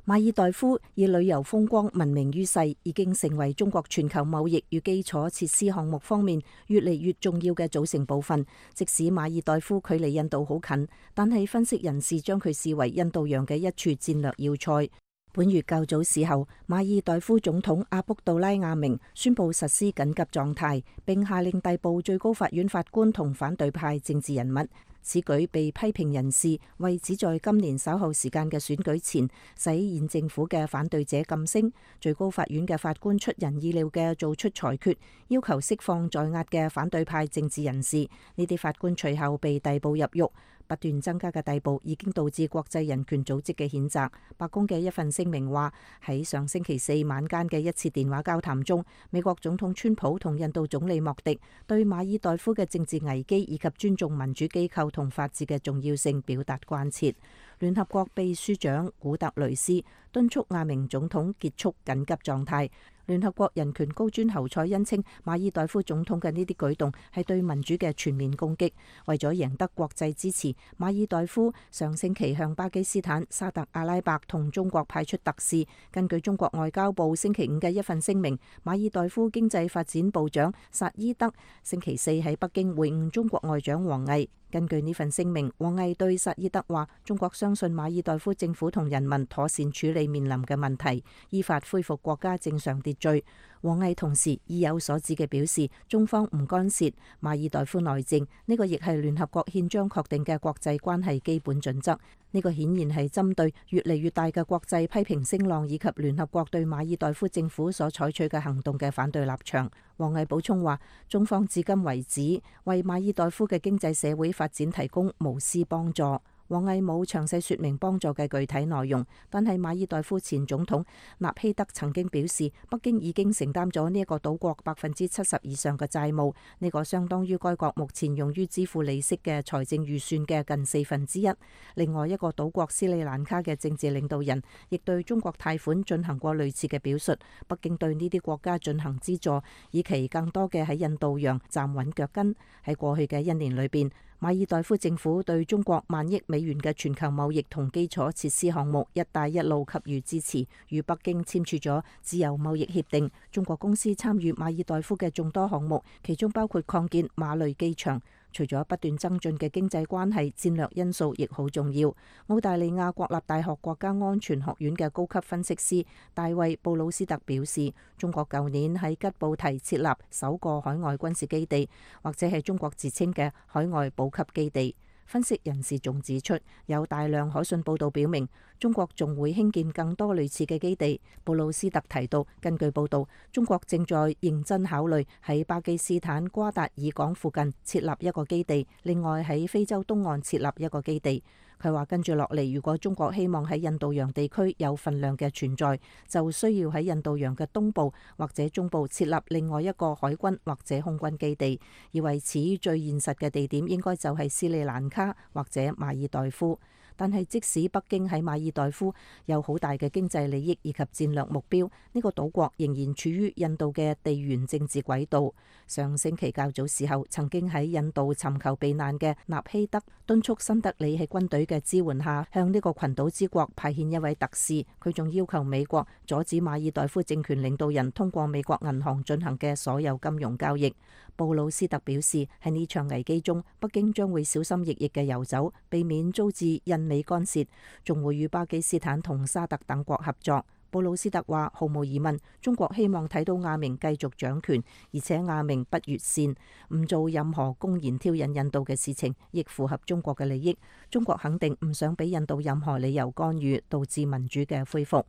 馬爾代夫以旅遊風光聞名於世，已經成為中國全球貿易與基礎設施項目方面越嚟越重要嘅組成部分。即使馬爾代夫距離印度好近，但係分析人士將佢視為印度洋嘅一處戰略要塞。本月較早時候，馬爾代夫總統阿卜杜拉亞明宣布實施緊急狀態，並下令逮捕最高法院法官同反對派政治人物。此舉被批評人士為旨在今年稍後時間嘅選舉前，使現政府嘅反對者噤聲。最高法院嘅法官出人意料嘅做出裁決，要求釋放在押嘅反對派政治人士。呢啲法官隨後被逮捕入獄。不斷增加嘅逮捕已經導致國際人權組織嘅譴責。白宮嘅一份聲明話，喺上星期四晚間嘅一次電話交談中，美國總統川普同印度總理莫迪對馬爾代夫嘅政治危機以及尊重民主機構同法治嘅重要性表達關切。聯合國秘書長古特雷斯敦促亞明總統結束緊急狀態。聯合國人權高專侯賽恩稱，馬爾代夫總統嘅呢啲舉動係對民主嘅全面攻擊。為咗贏得國際支持，馬爾代夫上星期向巴基斯坦、沙特阿拉伯同中國派出特使。根據中國外交部星期五嘅一份聲明，馬爾代夫經濟發展部長薩伊德星期四喺北京會晤中國外長王毅。根據呢份聲明，王毅對薩伊德話：中國相信馬爾代夫政府同人民妥善處理面臨嘅問題，依法恢復國家正常秩序。王毅同時意有所指嘅表示，中方唔干涉馬爾代夫內政，呢個亦係聯合國憲章確定嘅國際關係基本準則。呢個顯然係針對越嚟越大嘅國際批評聲浪以及聯合國對馬爾代夫政府所採取嘅行動嘅反對立場。王毅補充話，中方至今為止為馬爾代夫嘅經濟社會發展提供無私幫助。王毅冇詳細說明幫助嘅具體內容，但係馬爾代夫前總統納希德曾經表示，北京已經承擔咗呢一個島國70%以上嘅債務，呢個相當於該國目前用於支付利息嘅財政預算嘅近1/4。另外一個島國斯里蘭卡嘅政治領導人亦對中國貸款進行過類似嘅表述。北京對呢啲國家進行資助，以期更多嘅喺印度洋站穩腳跟。喺過去嘅1年裏邊，馬爾代夫政府對中國萬億美元嘅全球貿易同基礎設施項目「一帶一路」給予支持，與北京簽署咗自由貿易協定。中國公司參與馬爾代夫嘅眾多項目，其中包括擴建馬累機場。除咗不斷增進嘅經濟關係，戰略因素亦好重要。澳大利亞國立大學國家安全學院嘅高級分析師大衛布魯斯特表示，中國舊年喺吉布提設立首個海外軍事基地，或者係中國自稱嘅海外補給基地。分析人士仲指出，有大量可信報道表明，中國仲會興建更多類似嘅基地。布魯斯特提到，根據報道，中國正在認真考慮喺巴基斯坦瓜達爾港附近設立一個基地，另外喺非洲東岸設立一個基地。佢話跟住落嚟，如果中國希望喺印度洋地區有份量嘅存在，就需要喺印度洋嘅東部或者中部設立另外一個海軍或者空軍基地，而為此最現實嘅地點應該就係斯里蘭卡或者馬爾代夫。但係即使北京喺馬爾代夫有好大嘅經濟利益以及戰略目標，呢個島國仍然處於印度嘅地緣政治軌道。上星期較早時候，曾經喺印度尋求避難嘅納希德敦促新德里喺軍隊嘅支援下，向呢個群島之國派遣一位特使。佢仲要求美國阻止馬爾代夫政權領導人通過美國銀行進行嘅所有金融交易。布魯斯特表示，喺呢場危機中，北京將會小心翼翼嘅遊走，避免遭致印美干涉，仲會與巴基斯坦同沙特等國合作。布魯斯特話，毫無疑問，中國希望睇到亞明繼續掌權，而且亞明不越線，唔做任何公然挑釁印度嘅事情，亦符合中國嘅利益。中國肯定唔想俾印度任何理由干預，導致民主嘅恢復。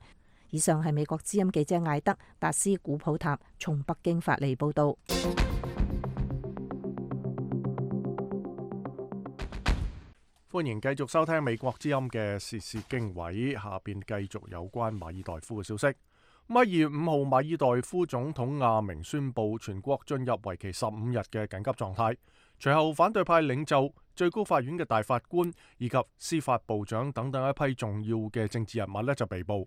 以上係美國之音記者艾德達斯古普塔從北京發嚟報道。歡迎繼續收聽美國之音嘅時事經緯，下邊繼續有關馬爾代夫嘅消息。2月5號，馬爾代夫總統亞明宣布全國進入為期15日嘅緊急狀態。隨後，反對派領袖、最高法院嘅大法官以及司法部長等等一批重要嘅政治人物就被捕。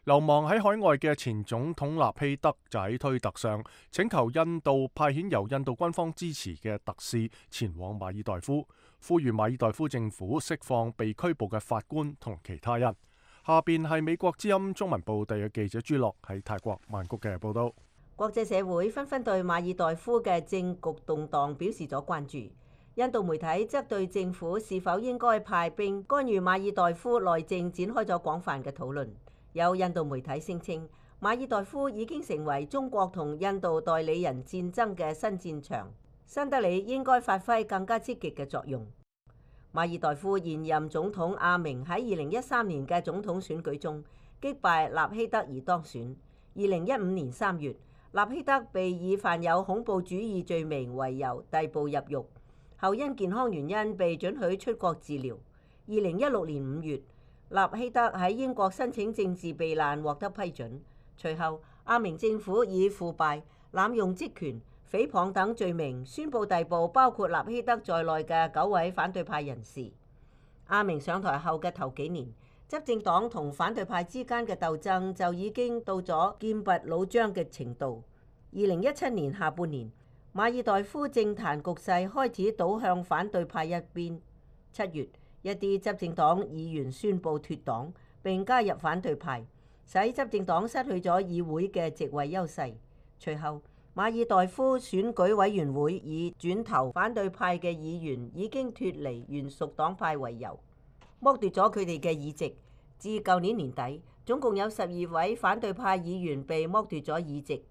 流亡喺海外嘅前總統納希德就喺推特上請求印度派遣由印度軍方支持嘅特使前往馬爾代夫，呼籲馬爾代夫政府釋放被拘捕嘅法官同其他人。下邊係美國之音中文部地嘅記者朱樂喺泰國曼谷嘅報道。國際社會紛紛對馬爾代夫嘅政局動盪表示咗關注。印度媒體則對政府是否應該派兵干預馬爾代夫內政展開咗廣泛嘅討論。有印度媒體聲稱，馬爾代夫已經成為中國同印度代理人戰爭嘅新戰場，新德里應該發揮更加積極嘅作用。馬爾代夫現任總統阿明喺2013年嘅總統選舉中擊敗納希德而當選。2015年3月，納希德被以犯有恐怖主義罪名為由逮捕入獄，後因健康原因被准許出國治療。2016年5月，納希德喺英國申請政治避難獲得批准。隨後，阿明政府以腐敗、濫用職權、誹謗等罪名宣布逮捕包括納希德在內嘅9位反對派人士。阿明上台後嘅頭幾年，執政黨同反對派之間嘅鬥爭就已經到咗劍拔弩張嘅程度。2017年下半年，馬爾代夫政壇局勢開始倒向反對派一邊。7月，一啲執政黨議員宣布脫黨並加入反對派，使執政黨失去咗議會嘅席位優勢。隨後，馬爾代夫選舉委員會以轉投反對派嘅議員已經脫離原屬黨派為由，剝奪咗佢哋嘅議席。至舊年年底，總共有12位反對派議員被剝奪咗議席。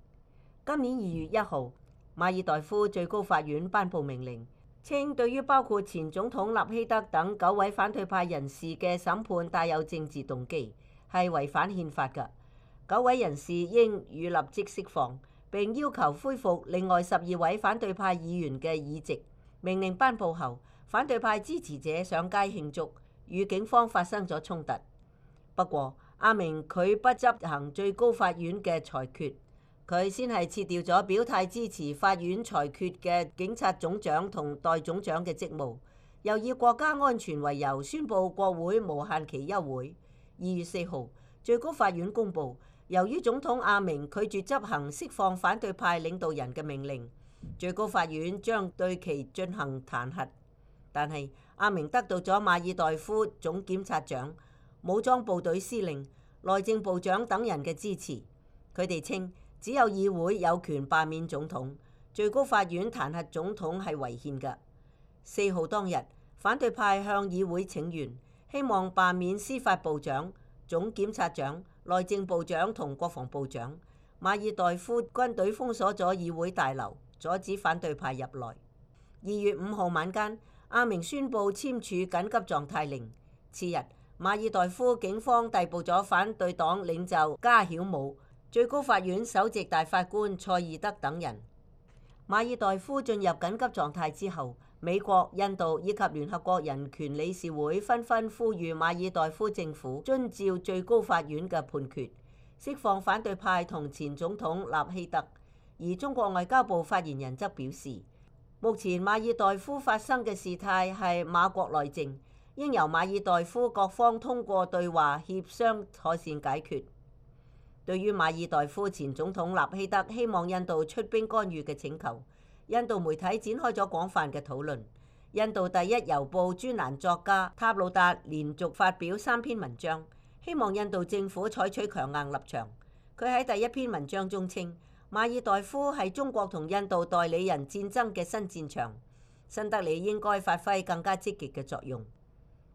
今年2月1號，馬爾代夫最高法院頒布命令，稱對於包括前總統納希德等9位反對派人士嘅審判帶有政治動機，係違反憲法嘅。9位人士應予立即釋放，並要求恢復另外12位反對派議員嘅議席。命令頒布後，反對派支持者上街慶祝，與警方發生咗衝突。不過，阿明佢不執行最高法院嘅裁決。佢先係撤掉咗表態支持法院裁決嘅警察總長同代總長嘅職務，又以國家安全為由宣布國會無限期休會。2月4號，最高法院公佈，由於總統阿明拒絕執行釋放反對派領導人嘅命令，最高法院將對其進行彈劾。但係阿明得到咗馬爾代夫總檢察長、武裝部隊司令、內政部長等人嘅支持。佢哋稱只有議會有權罷免總統，最高法院彈劾總統係違憲嘅。4號當日，反對派向議會請願，希望罷免司法部長、總檢察長、內政部長同國防部長。馬爾代夫軍隊封鎖咗議會大樓，阻止反對派入內。2月5號晚間，阿明宣布簽署緊急狀態令。次日，馬爾代夫警方逮捕咗反對黨領袖加曉姆、最高法院首席大法官塞爾德等人。馬爾代夫進入緊急狀態之後，美國、印度以及聯合國人權理事會紛紛呼籲馬爾代夫政府遵照最高法院嘅判決，釋放反對派同前總統納希特。而中國外交部發言人則表示，目前馬爾代夫發生嘅事態係馬國內政，應由馬爾代夫各方通過對話協商妥善解決。對於馬爾代夫前總統納希德希望印度出兵干預嘅請求，印度媒體展開咗廣泛嘅討論。印度第一郵報專欄作家塔魯達連續發表3篇文章，希望印度政府採取強硬立場。佢喺第一篇文章中稱，馬爾代夫係中國同印度代理人戰爭嘅新戰場，新德里應該發揮更加積極嘅作用。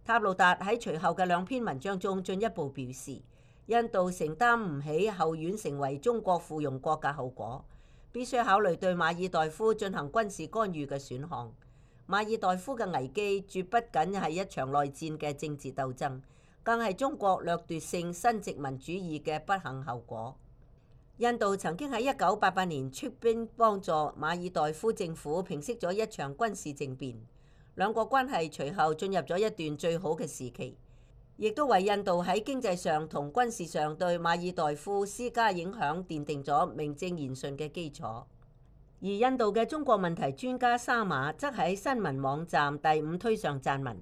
塔魯達喺隨後嘅2篇文章中進一步表示，印度承擔唔起後院成為中國附庸國嘅後果，必須考慮對馬爾代夫進行軍事干預嘅選項。馬爾代夫嘅危機絕不僅係一場內戰嘅政治鬥爭，更係中國掠奪性新殖民主義嘅不幸後果。印度曾經喺1988年出兵幫助馬爾代夫政府平息咗一場軍事政變，兩國關係隨後進入咗一段最好嘅時期，亦都為印度喺經濟上同軍事上對馬爾代夫施加影響奠定咗名正言順嘅基礎。而印度嘅中國問題專家沙馬則喺新聞網站第5推上撰文，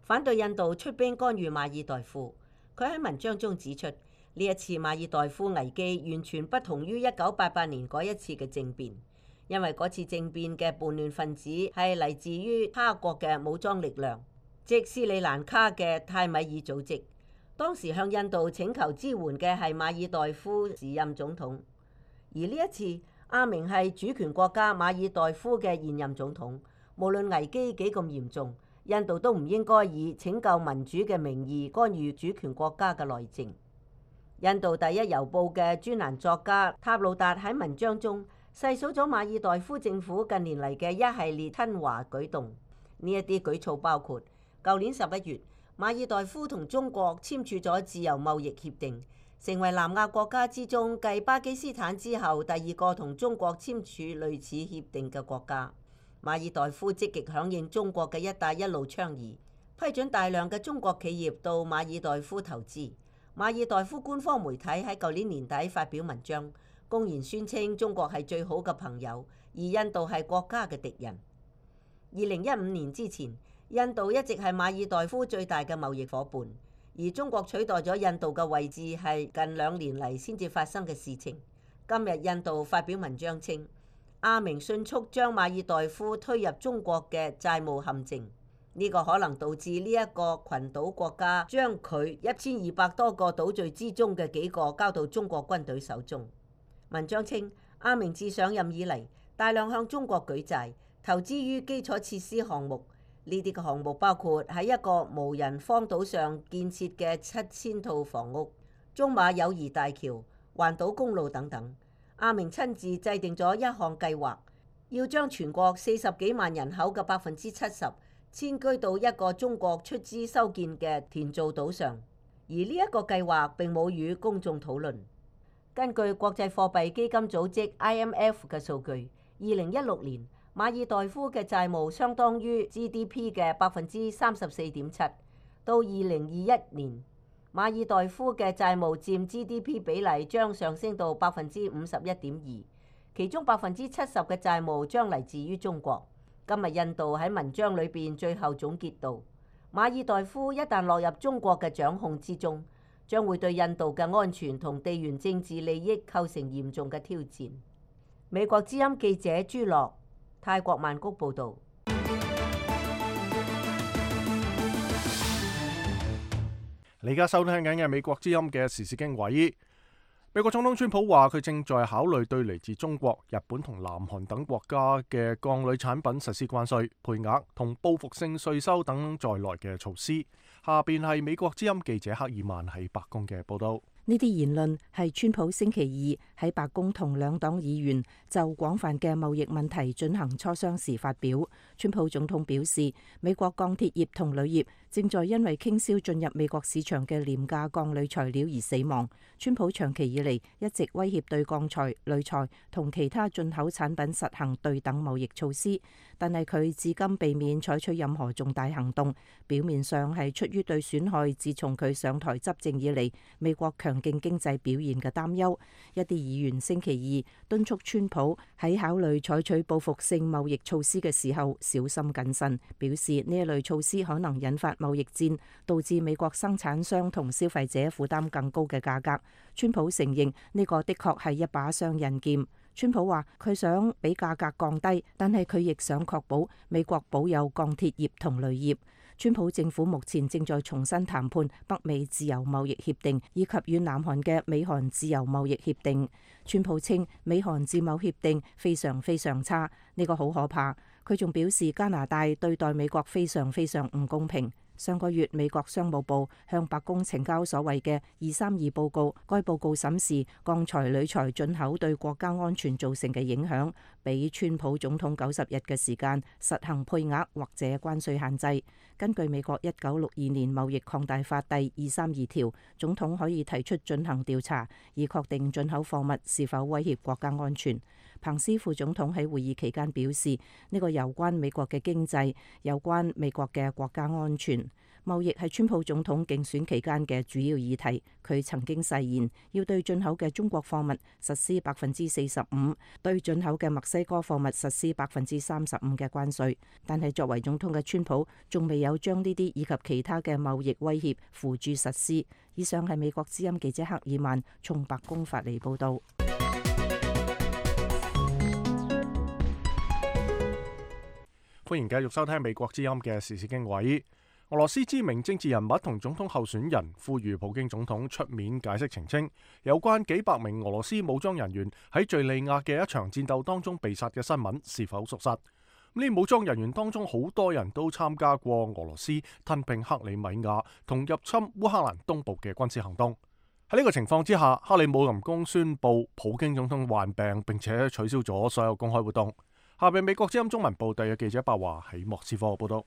反對印度出兵干預馬爾代夫。佢喺文章中指出，呢一次馬爾代夫危機完全不同於1988年嗰一次嘅政變，因為嗰次政變嘅叛亂分子係嚟自於他國嘅武裝力量，即斯里蘭卡嘅泰米爾組織。當時向印度請求支援嘅係馬爾代夫時任總統，而呢一次阿明係主權國家馬爾代夫嘅現任總統。無論危機幾咁嚴重，印度都唔應該以拯救民主嘅名義干預主權國家嘅內政。印度第一郵報嘅專欄作家塔魯達喺文章中細數咗馬爾代夫政府近年嚟嘅一系列親華舉動。呢一啲舉措包括舊年11月，馬爾代夫同中國簽署咗自由貿易協定，成為南亞國家之中繼巴基斯坦之後第2個同中國簽署類似協定嘅國家。馬爾代夫積極響應中國嘅一帶一路倡議，批准大量嘅中國企業到馬爾代夫投資。馬爾代夫官方媒體喺舊年年底發表文章，公然宣稱中國係最好嘅朋友，而印度係國家嘅敵人。2015年之前，印度一直係馬爾代夫最大嘅貿易夥伴，而中國取代咗印度嘅位置係近2年嚟先至發生嘅事情。今日印度發表文章稱，阿明迅速將馬爾代夫推入中國嘅債務陷阱。呢個可能導致呢一個群島國家將佢1200多個島嶼之中嘅幾個交到中國軍隊手中。文章稱，阿明自上任以嚟，大量向中國舉債，投資於基礎設施項目。呢啲嘅項目包括喺一個無人荒島上建設嘅7000套房屋、中馬友誼大橋、環島公路等等。阿明親自制定咗一項計劃，要將全國40幾萬人口嘅70%遷居到一個中國出資修建嘅田造島上，而呢一個計劃並冇與公眾討論。根據國際貨幣基金組織 IMF 嘅數據，2016年馬爾代夫嘅債務相當於 GDP 嘅34.7%，到2021年馬爾代夫嘅債務佔 GDP 比例將上升到 51.2%， 其中 70% 嘅債務將嚟自於中國。今日印度喺文章裏邊最後總結到，馬爾代夫一旦落入中國嘅掌控之中，將會對印度嘅安全同地緣政治利益構成嚴重嘅挑戰。美國之音記者朱樂，泰國曼谷報導。你而家收聽緊嘅美國之音嘅時事經緯。美國總統川普話佢正在考慮對嚟自中國、日本同南韓等國家嘅鋼鋁產品實施關稅、配額同報復性稅收等在內嘅措施。下邊係美國之音記者克爾曼喺白宮嘅報道。呢啲言論係川普星期二喺白宮同兩黨議員就廣泛嘅貿易問題進行磋商時發表。川普總統表示，美國鋼鐵業同鋁業正在因為傾銷進入美國市場嘅廉價鋼鋁材料而死亡。川普長期以嚟一直威脅對鋼材、鋁材同其他進口產品實行對等貿易措施，但係佢至今避免採取任何重大行動。表面上係出於對損害自從佢上台執政以嚟美國強勁經濟表現嘅擔憂。一啲議員星期二敦促川普喺考慮採取報復性貿易措施嘅時候小心謹慎，表示呢一類措施可能引發貿易戰，導致美國生產商同消費者負擔更高嘅價格。川普承認呢個的確係一把雙刃劍。川普話佢想俾價格降低，但係佢亦想確保美國保有鋼鐵業同鋁業。川普政府目前正在重新談判北美自由貿易協定以及與南韓嘅美韓自由貿易協定。川普稱美韓自貿協定非常非常差，呢個好可怕。佢仲表示加拿大對待美國非常非常唔公平。上個月美國商務部向白宮呈交所謂嘅232報告，該報告審視鋼材、鋁材進口對國家安全造成嘅影響，俾川普總統90日嘅時間實行配額或者關稅限制。根據美國1962年貿易擴大法第232條，總統可以提出進行調查，以確定進口貨物是否威脅國家安全。彭斯副總統喺會議期間表示，呢個有關美國嘅經濟，有關美國嘅國家安全。貿易係川普總統競選期間嘅主要議題。佢曾經誓言要對進口嘅中國貨物實施45%，對進口嘅墨西哥貨物實施35%嘅關稅。但係作為總統嘅川普仲未有將呢啲以及其他嘅貿易威脅付諸實施。以上係美國之音記者克爾曼從白宮發嚟報導。歡迎繼續收聽美國之音嘅時事經緯。俄羅斯知名政治人物同總統候選人呼籲普京總統出面解釋澄清有關幾百名俄羅斯武裝人員喺敘利亞嘅一場戰鬥當中被殺嘅新聞是否屬實。呢武裝人員當中好多人都參加過俄羅斯吞併克里米亞同入侵烏克蘭東部嘅軍事行動。喺呢個情況之下，克里姆林宮宣布普京總統患病，並且取消咗所有公開活動。下邊美國之音中文部嘅記者白華喺莫斯科報道。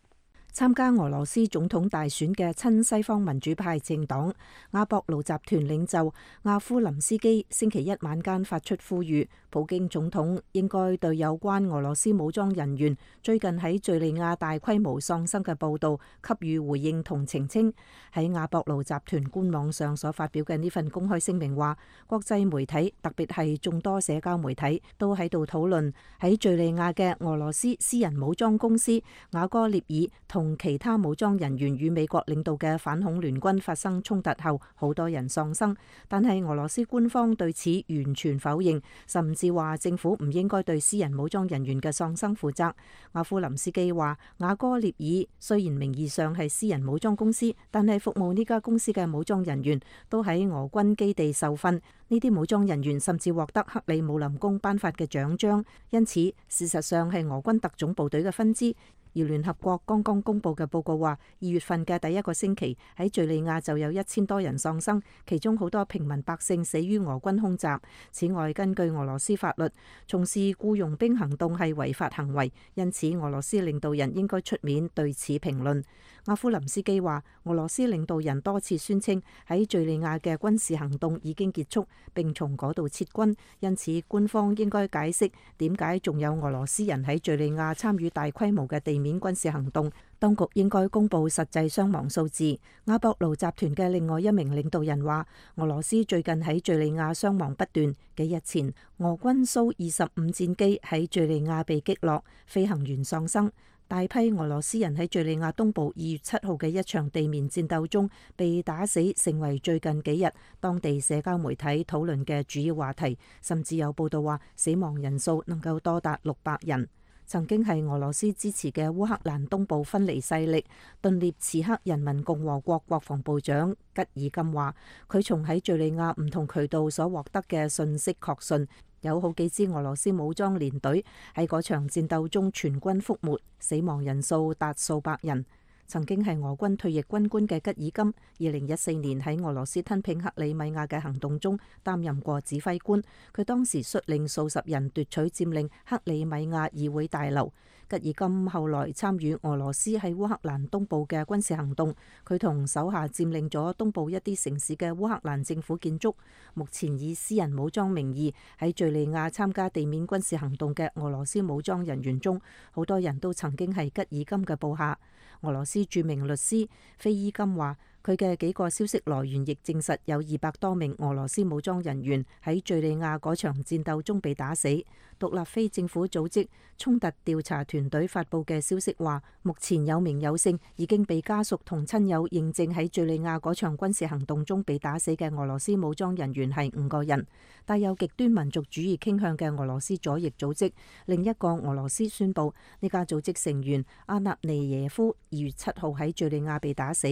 參加俄羅斯總統大選嘅親西方民主派政黨阿博盧集團領袖阿夫林斯基星期一晚間發出呼籲，普京總統應該對有關俄羅斯武裝人員最近喺敘利亞大規模喪生嘅報導給予回應同澄清。喺阿博盧集團官網上所發表嘅呢份公開聲明話，國際媒體特別係眾多社交媒體都喺度討論喺敘利亞嘅俄羅斯私人武裝公司瓦戈涅爾同其他武裝人員與美國領導嘅反恐聯軍發生衝突後，好多人喪生。但係俄羅斯官方對此完全否認，甚至話政府唔應該對私人武裝人員嘅喪生負責。阿夫林斯基話，瓦戈涅爾雖然名義上係私人武裝公司，但係服務呢家公司嘅武裝人員都喺俄軍基地受訓。呢啲武裝人員甚至獲得克里姆林宮頒發嘅獎章，因此事實上係俄軍特種部隊嘅分支。而聯合國剛剛公布嘅報告話，2月份嘅第一個星期喺敘利亞就有1000多人喪生，其中好多平民百姓死於俄軍空襲。此外，根據俄羅斯法律，從事僱傭兵行動係違法行為，因此俄羅斯領導人應該出面對此評論。阿夫林斯基話，俄羅斯領導人多次宣稱喺敘利亞嘅軍事行動已經結束，並從嗰度撤軍，因此官方應該解釋點解仲有俄羅斯人喺敘利亞參與大規模嘅地面軍事行動。當局應該公布實際傷亡數字。阿博盧集團嘅另外一名領導人話，俄羅斯最近喺敘利亞傷亡不斷。幾日前，俄軍蘇25戰機喺敘利亞被擊落，飛行員喪生。大批俄羅斯人喺敘利亞東部2月7號嘅一場地面戰鬥中被打死，成為最近幾日當地社交媒體討論嘅主要話題，甚至有報道話死亡人數能夠多達600人。曾經係俄羅斯支持嘅烏克蘭東部分離勢力頓涅茨克人民共和國國防部長吉爾金話，佢從喺敘利亞唔同渠道所獲得嘅信息確信，有好幾支俄羅斯武裝連隊喺嗰場戰鬥中全軍覆沒，死亡人數達數百人。曾經係俄軍退役軍官嘅吉爾金，2014年喺俄羅斯吞併克里米亞嘅行動中擔任過指揮官，佢當時率領數十人奪取佔領克里米亞議會大樓。吉爾金後來參與俄羅斯喺烏克蘭東部嘅軍事行動，佢同手下佔領咗東部一啲城市嘅烏克蘭政府建築。目前以私人武裝名義喺敘利亞參加地面軍事行動嘅俄羅斯武裝人員中，好多人都曾經係吉爾金嘅部下。俄羅斯著名律師菲伊金話，佢嘅幾個消息來源亦證實有200多名俄羅斯武裝人員喺敘利亞嗰場戰鬥中被打死。獨立非政府組織衝突調查團隊發佈嘅消息話，目前有名有姓已經被家屬同親友認證喺敘利亞嗰場軍事行動中被打死嘅俄羅斯武裝人員係5個人。帶有極端民族主義傾向嘅俄羅斯左翼組織另一個俄羅斯宣布，呢家組織成員阿納尼耶夫2月7號喺敘利亞被打死。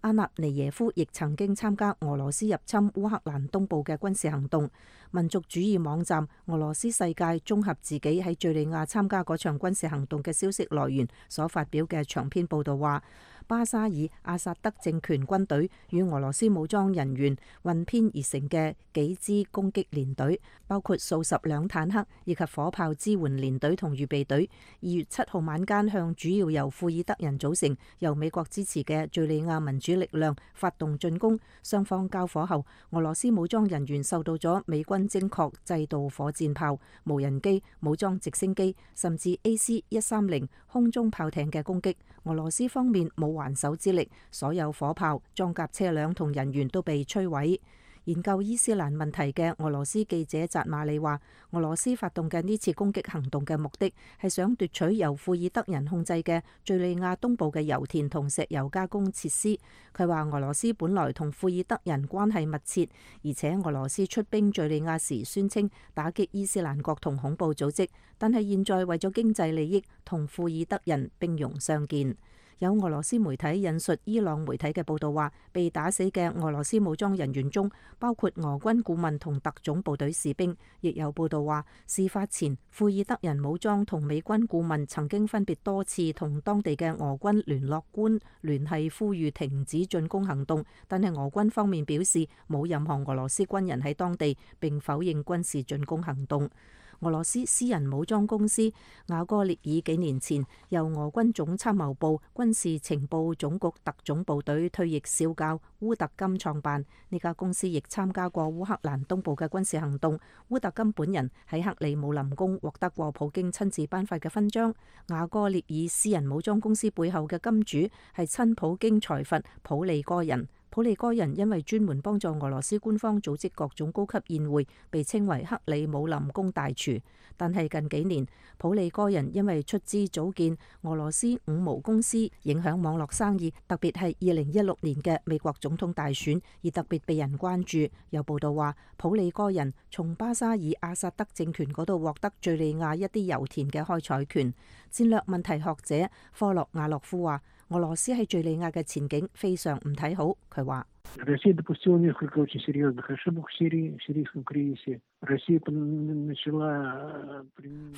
阿納尼耶夫亦曾經參加俄羅斯入侵烏克蘭東部嘅軍事行動。民族主義網站俄羅斯世界綜合自己喺敘利亞參加嗰場軍事行動嘅消息來源所發表嘅長篇報道話，巴沙爾阿薩德政權軍隊與俄羅斯武裝人員混編而成嘅幾支攻擊連隊，包括數十輛坦克以及火炮支援連隊同預備隊，2月7號晚間向主要由庫爾德人組成、由美國支持嘅敘利亞民主力量發動進攻。雙方交火後，俄羅斯武裝人員受到咗美軍精確制導火箭炮、無人機、武裝直升機甚至 AC-130空中炮艇嘅攻擊。俄羅斯方面冇還手之力，所有火炮、裝甲車輛同人員都被摧毀。研究伊斯蘭問題嘅俄羅斯記者扎馬里話，俄羅斯發動嘅呢次攻擊行動嘅目的係想奪取由庫爾德人控制嘅敘利亞東部嘅油田同石油加工設施。佢話俄羅斯本來同庫爾德人關係密切，而且俄羅斯出兵敘利亞時宣稱打擊伊斯蘭國同恐怖組織，但係現在為咗經濟利益同庫爾德人兵戎相見。有俄羅斯媒體引述伊朗媒體嘅報道話，被打死嘅俄羅斯武裝人員中包括俄軍顧問同特種部隊士兵。亦有報道話，事發前庫爾德人武裝同美軍顧問曾經分別多次同當地嘅俄軍聯絡官聯繫，呼籲停止進攻行動，但係俄軍方面表示冇任何俄羅斯軍人喺當地，並否認軍事進攻行動。俄羅斯私人武裝公司瓦戈列爾幾年前由俄軍總參謀部軍事情報總局特種部隊退役少校烏特金創辦，呢家公司亦參加過烏克蘭東部嘅軍事行動。烏特金本人喺克里姆林宮獲得過普京親自頒發嘅勳章。瓦戈列爾私人武裝公司背後嘅金主係親普京財閥普利戈人。普利戈人因為專門幫助俄羅斯官方組織各種高級宴會，被稱為克里姆林宮大廚。但係近幾年，普利戈人因為出資組建俄羅斯五毛公司，影響網絡生意，特別係2016年嘅美國總統大選，而特別被人關注。有報道話，普利戈人從巴沙爾阿薩德政權嗰度獲得敘利亞一啲油田嘅開採權。戰略問題學者科洛亞洛夫話，俄羅斯喺敘利亞嘅前景非常唔睇好。佢話：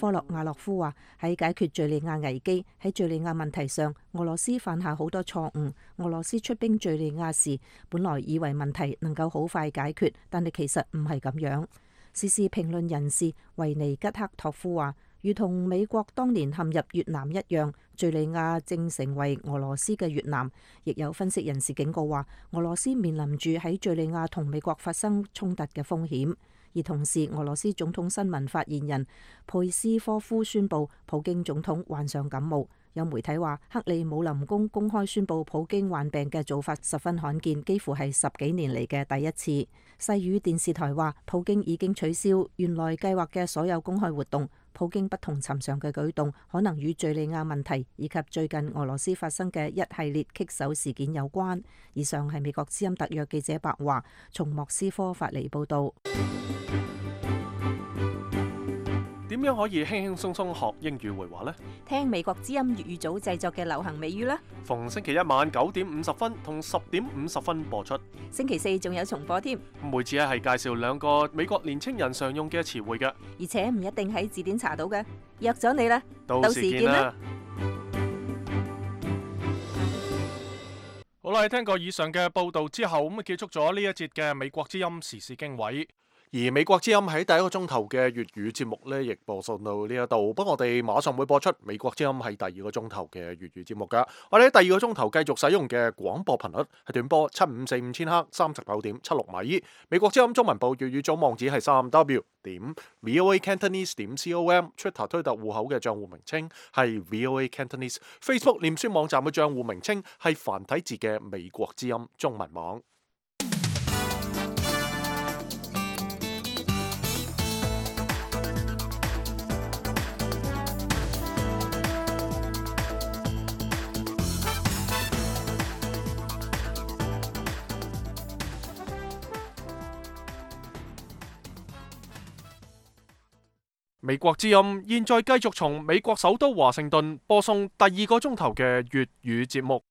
科洛亞洛夫話喺解決敘利亞危機，喺敘利亞問題上，俄羅斯犯下好多錯誤。俄羅斯出兵敘利亞時，本來以為問題能夠好快解決，但係其實唔係咁樣。時事評論人士維尼吉克托夫話，如同美國當年陷入越南一樣，敘利亞正成為俄羅斯嘅越南。亦有分析人士警告話，俄羅斯面臨住喺敘利亞同美國發生衝突嘅風險。而同時，俄羅斯總統新聞發言人佩斯科夫宣布普京總統患上感冒。有媒體話，克里姆林宮公開宣布普京患病嘅做法十分罕見，幾乎係10幾年嚟嘅第一次。西語電視台話，普京已經取消原來計劃嘅所有公開活動。普京不同尋常嘅舉動，可能與敘利亞問題以及最近俄羅斯發生嘅一系列棘手事件有關。以上係美國之音特約記者白華從莫斯科發嚟報導。點點樣可以輕輕鬆鬆學英語會話呢？聽美國之音粵語組製作嘅流行美語啦。逢星期一晚9:50同10:50播出。星期四仲有重播添，每次係介紹2個美國年青人常用嘅詞彙嘅，而且唔一定喺字典查到嘅。約咗你啦，到時見啦。好啦，聽過以上嘅報道之後，咁結束咗呢一節嘅美國之音時事經緯。而美國之音喺第一個鐘頭嘅粵語節目呢，亦播送到呢一度。不過我哋馬上會播出美國之音喺第二個鐘頭嘅粵語節目噶。我哋喺第二個鐘頭繼續使用嘅廣播頻率係短波7545千赫39.76米。美國之音中文部粵語組網址係3w.voacantonese.com。Twitter 推特戶口嘅賬戶名稱係 VOA Cantonese。Facebook 臉書網站嘅賬戶名稱係繁體字嘅美國之音中文網。美國之音現在繼續從美國首都華盛頓播送第二個鐘頭嘅粵語節目。